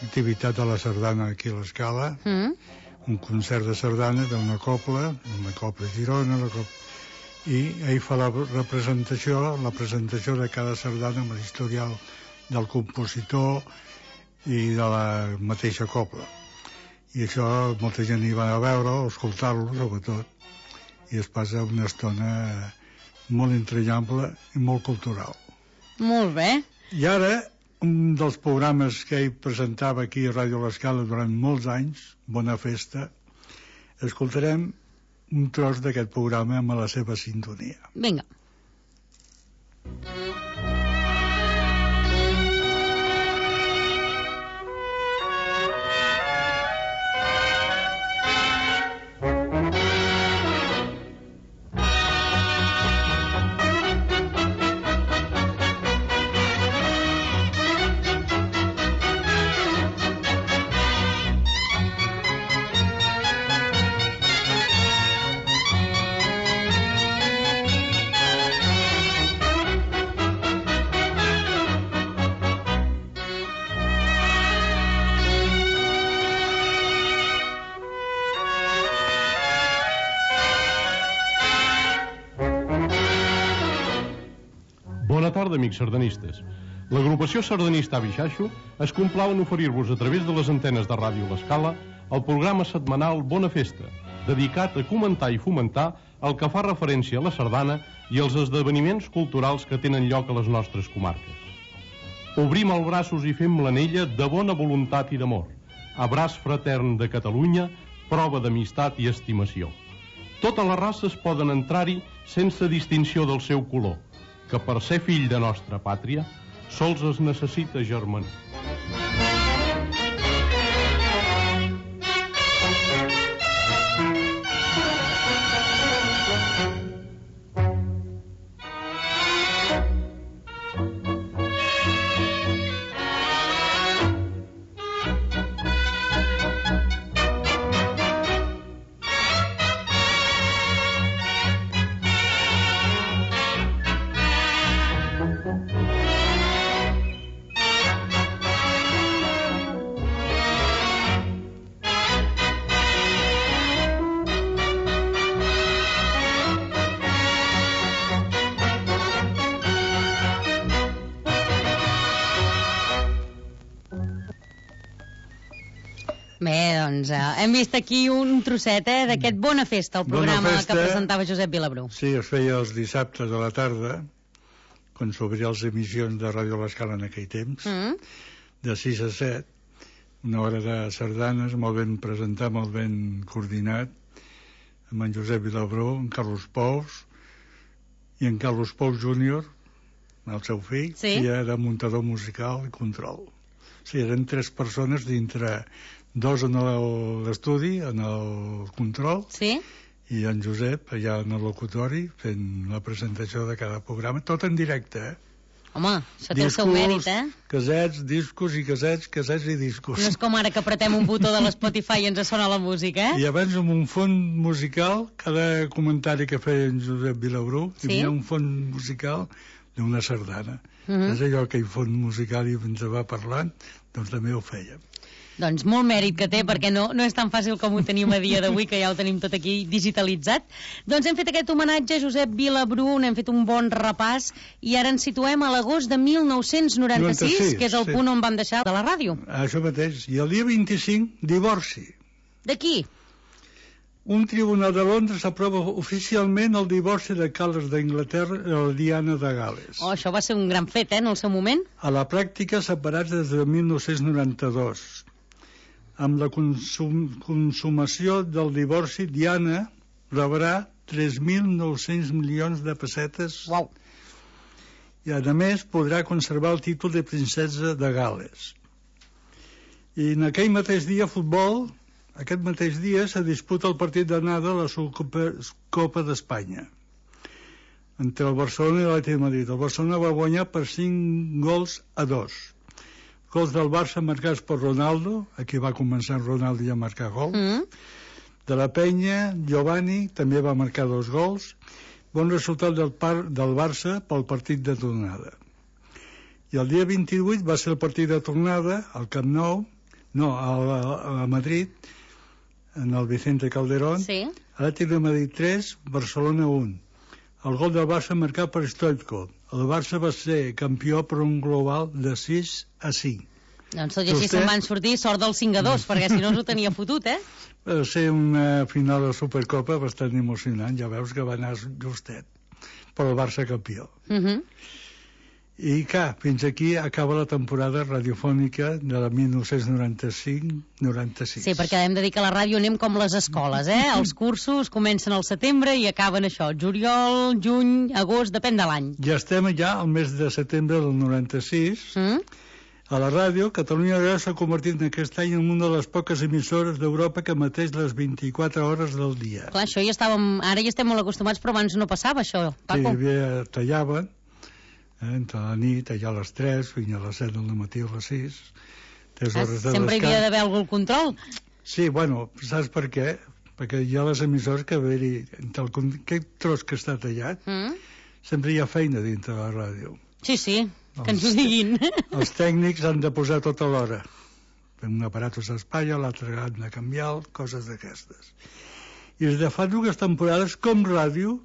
activitat de la sardana aquí a l'Escala, mm. un concert de sardana d'una cobla, una cobla Girona, la cobla... i ahir fa la representació, la presentació de cada sardana amb l'historial del compositor i de la mateixa cobla. I això molta gent hi va a veure, a escoltar-lo sobretot, i es passa una estona molt entranyable i molt cultural. Molt bé. I ara, un dels programes que ell presentava aquí a Ràdio L'Escala durant molts anys, Bona Festa, escoltarem un tros d'aquest programa amb la seva sintonia. Vinga. Bona tarda, amics sardanistes. L'agrupació sardanista Avixaixo es complau en oferir-vos a través de les antenes de Ràdio L'Escala el programa setmanal Bona Festa, dedicat a comentar i fomentar el que fa referència a la sardana i els esdeveniments culturals que tenen lloc a les nostres comarques. Obrim els braços i fem l'anella de bona voluntat i d'amor. Abraç fratern de Catalunya, prova d'amistat i estimació. Totes les races poden entrar-hi sense distinció del seu color, que per ser fill de nostra pàtria sols es necessita germanar. Bé, doncs, eh, hem vist aquí un trosset eh, d'aquest Bona Festa, el programa Bona Festa, que presentava Josep Vilabrú. Sí, es feia els dissabtes a la tarda, quan s'obria les emissions de Ràdio L'Escala en aquell temps, Mm. de sis a set, una hora de sardanes, molt ben presentat, molt ben coordinat, amb en Josep Vilabrú, en Carlos Pous, i en Carlos Pous júnior, el seu fill, Sí. que era muntador musical i control. Sí, eren tres persones dintre, dos en l'estudi, en el control, sí. i en Josep allà en el locutori fent la presentació de cada programa, tot en directe, eh? Home, això té el seu mèrit, eh? Casets, discos i casets, casets i discos. No és com ara que apretem un botó de l'Spotify i ens sona la música, eh? I abans amb un fons musical, cada comentari que feia en Josep Vilabrú, Sí. hi havia un fons musical d'una sardana. Mhm. És allò que hi fons musical i ens va parlant, doncs també ho fèiem. Doncs molt mèrit que té, perquè no, no és tan fàcil com ho tenim a dia d'avui, que ja ho tenim tot aquí digitalitzat. Doncs hem fet aquest homenatge a Josep Vilabrú, n'hem fet un bon repàs, i ara ens situem a l'agost de mil nou-cents noranta-sis, noranta-sis, que és el sí. punt on vam deixar de la ràdio. Això mateix. I el dia vint-i-cinc, divorci. De qui? Un tribunal de Londres aprova oficialment el divorci de Carles d'Anglaterra i la Diana de Gal·les. Oh, això va ser un gran fet, eh, en el seu moment. A la pràctica separats des de mil nou-cents noranta-dos. Amb la consum consumació del divorci, Diana rebrà tres mil nou-cents milions de pessetes. Uau. I, a més, podrà conservar el títol de princesa de Gal·les. I en aquell mateix dia, futbol, aquest mateix dia se disputa el partit d'anada a la Supercopa Copa d'Espanya entre el Barcelona i l'Atlètic de Madrid. El Barcelona va guanyar per cinc gols a dos. Gols del Barça marcats per Ronaldo, aquí va començar Ronaldo ja a marcar gol. Mm. De la Penya, Giovanni també va marcar dos gols. Bon resultat del, par del Barça pel partit de tornada. I el dia vint-i-vuit va ser el partit de tornada al Camp Nou, no, a, a, a Madrid, en el Vicente Calderón. Sí. Atlètic de Madrid tres, Barcelona un. El gol del Barça marcat per Stoichkov. El Barça va ser campió per un global de sis a cinc. Doncs tot i així se'n van sortir sort del cinc a dos, perquè si no ens ho tenia fotut, eh? Va ser una final de Supercopa bastant emocionant, ja veus que va anar justet. però el Barça campió. Uh -huh. I clar, fins aquí acaba la temporada radiofònica de la mil nou-cents noranta-cinc noranta-sis. Sí, perquè hem de dir que a la ràdio anem com les escoles, eh? Els cursos comencen al setembre i acaben això, juliol, juny, agost, depèn de l'any. Ja estem ja al mes de setembre del noranta-sis. Mm? A la ràdio, Catalunya Ràdio s'ha convertit en aquest any en una de les poques emissores d'Europa que emeteix les vint-i-quatre hores del dia. Clar, això ja estàvem... Ara ja estem molt acostumats, però abans no passava això, Paco. Sí, hi havia, tallaven, eh, entre la nit, allà a les tres, fins a les set del matí a les sis, tres ah, hores de sempre descans. hi havia d'haver algun control. Sí, bueno, saps per què? Perquè hi ha les emissores que haver-hi, entre el, aquest tros que està tallat, Mm? sempre hi ha feina dintre de la ràdio. Sí, sí, que ens ho diguin. Els tècnics han de posar tota l'hora. Un aparat s'espatlla, l'altre han de canviar, coses d'aquestes. I des de fa dues temporades, Com Ràdio,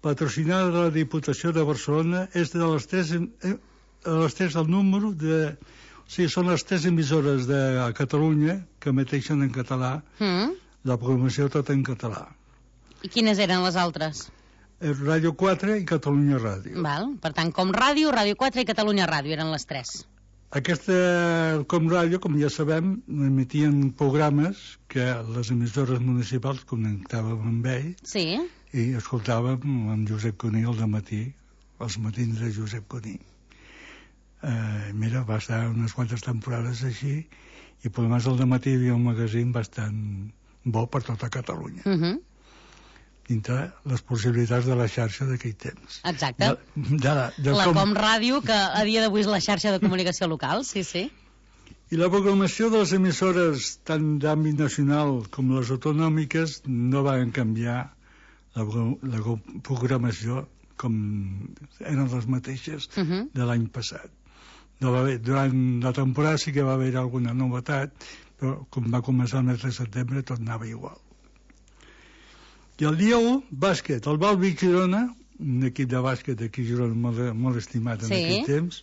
patrocinada de la Diputació de Barcelona, és de les tres, eh, de les tres el número de... O sigui, són les tres emissores de Catalunya que emeteixen en català, Mm? la programació tota en català. I quines eren les altres? Ràdio quatre i Catalunya Ràdio. Val. Per tant, Com Ràdio, Ràdio quatre i Catalunya Ràdio eren les tres. Aquesta Com Ràdio, com ja sabem, emetien programes que les emissores municipals connectàvem amb ell. Sí. I escoltàvem amb Josep Cuní al dematí, els matins de Josep Cuní. Eh, mira, va estar unes quantes temporades així, i per més al dematí hi havia un magazín bastant bo per tota Catalunya. Uh -huh. Dintre les possibilitats de la xarxa d'aquell temps. Exacte. De, de la, de la com... Com Ràdio, que a dia d'avui és la xarxa de comunicació local, sí, sí. I la programació de les emissores tant d'àmbit nacional com les autonòmiques no van canviar la, la programació com eren les mateixes uh -huh. de l'any passat. No va haver, durant la temporada sí que va haver alguna novetat, però com va començar el mes de setembre tot anava igual. I el dia u, bàsquet. El Balbi Girona, un equip de bàsquet aquí a Girona molt, molt estimat en sí. aquell temps,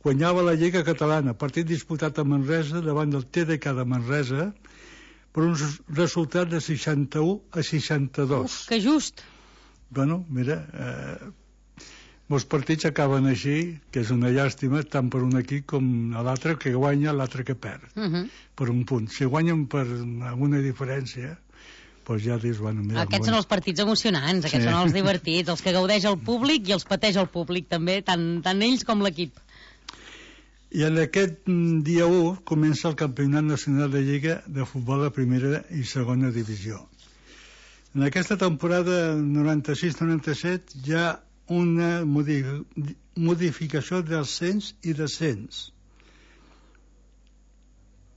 guanyava la Lliga Catalana, partit disputat a Manresa davant del T D K de Manresa per un resultat de seixanta-u a seixanta-dos. Uf, que just! Bueno, mira, eh, molts partits acaben així, que és una llàstima, tant per un equip com l'altre que guanya, l'altre que perd, uh -huh. per un punt. Si guanyen per alguna diferència, doncs ja dius, bueno, mira... Aquests són els partits emocionants, aquests sí. són els divertits, els que gaudeix el públic i els pateix el públic també, tant, tant ells com l'equip. I en aquest dia u comença el Campionat Nacional de Lliga de Futbol de Primera i Segona Divisió. En aquesta temporada noranta-sis noranta-set hi ha una modificació d'ascens i descens.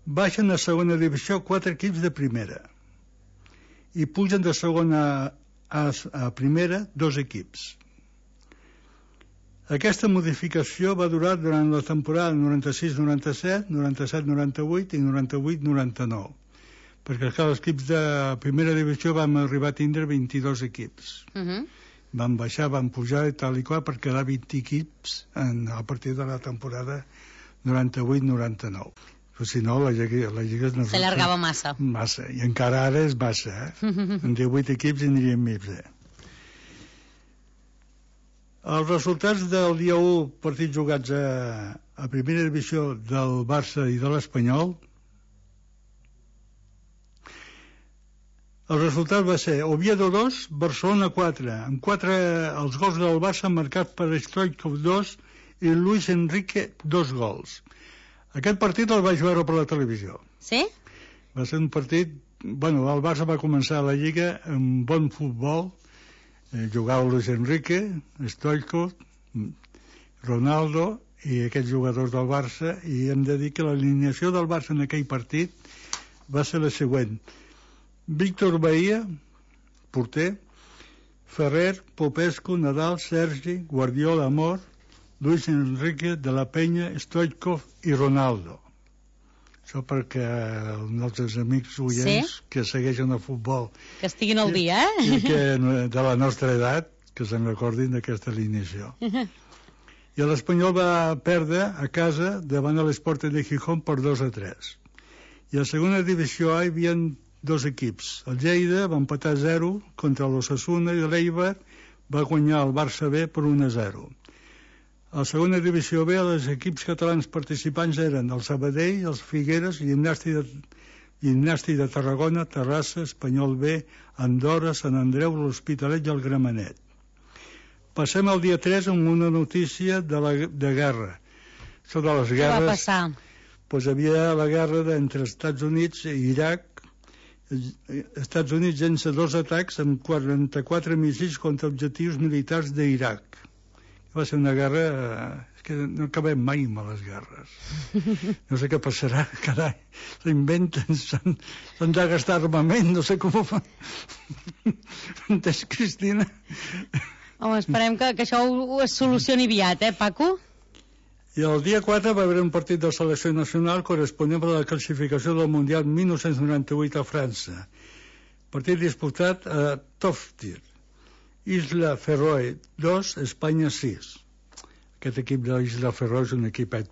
Baixen a segona divisió quatre equips de primera i pugen de segona a, a primera dos equips. Aquesta modificació va durar durant la temporada noranta-sis noranta-set, noranta-set noranta-vuit i noranta-vuit noranta-nou, perquè clar, els equips de primera divisió vam arribar a tindre vint-i-dos equips. Uh -huh. Van baixar, van pujar i tal i qual per quedar vint equips en, a partir de la temporada noranta-vuit noranta-nou. Però si no, la Lliga... La Lliga no s'allargava massa. Massa, i encara ara és massa, eh? En divuit equips en anirien més, eh? Els resultats del dia u, partits jugats a, a primera divisió del Barça i de l'Espanyol. El resultat va ser Oviedo dos, Barcelona quatre, amb quatre els gols del Barça marcats per Stoichkov dos i Luis Enrique dos gols. Aquest partit el vaig veure per la televisió. Sí? Va ser un partit... Bueno, el Barça va començar la Lliga amb bon futbol, eh, jugava Luis Enrique, Stoichkov, Ronaldo i aquests jugadors del Barça, i hem de dir que l'alineació del Barça en aquell partit va ser la següent: Víctor Bahía, porter, Ferrer, Popescu, Nadal, Sergi, Guardiola, Amor, Luis Enrique, De la Peña, Stoichkov i Ronaldo. Això perquè els nostres amics oients sí? que segueixen el futbol que estiguin al dia, eh? i que de la nostra edat que se'n recordin d'aquesta alineació. I l'Espanyol va perdre a casa davant de l'Sporting de Gijón per dos a tres. I a la segona divisió A hi havia dos equips. El Lleida va empatar a zero contra l'Osasuna i l'Eibar va guanyar el Barça B per un a zero. A la segona divisió B, els equips catalans participants eren el Sabadell, els Figueres, Gimnàstic de, Gimnàstic de Tarragona, Terrassa, Espanyol B, Andorra, Sant Andreu, l'Hospitalet i el Gramenet. Passem al dia tres amb una notícia de, la, de guerra. Sobre les guerres... Què va passar? Pues hi havia la guerra entre Estats Units i Iraq. Estats Units llença dos atacs amb quaranta-quatre míssils contra objectius militars d'Iraq. Va ser una guerra... És que no acabem mai amb les guerres. No sé què passarà, carai. S'inventen, s'han de gastar armament, no sé com ho fan. Entens, Cristina? Home, esperem que, que això ho es solucioni aviat, eh, Paco? I el dia quatre va haver un partit de selecció nacional corresponent a la classificació del Mundial mil nou-cents noranta-vuit a França. Partit disputat a Toftir. Isla Feroe dos, Espanya sis. Aquest equip de l'Isla Feroe és un equipet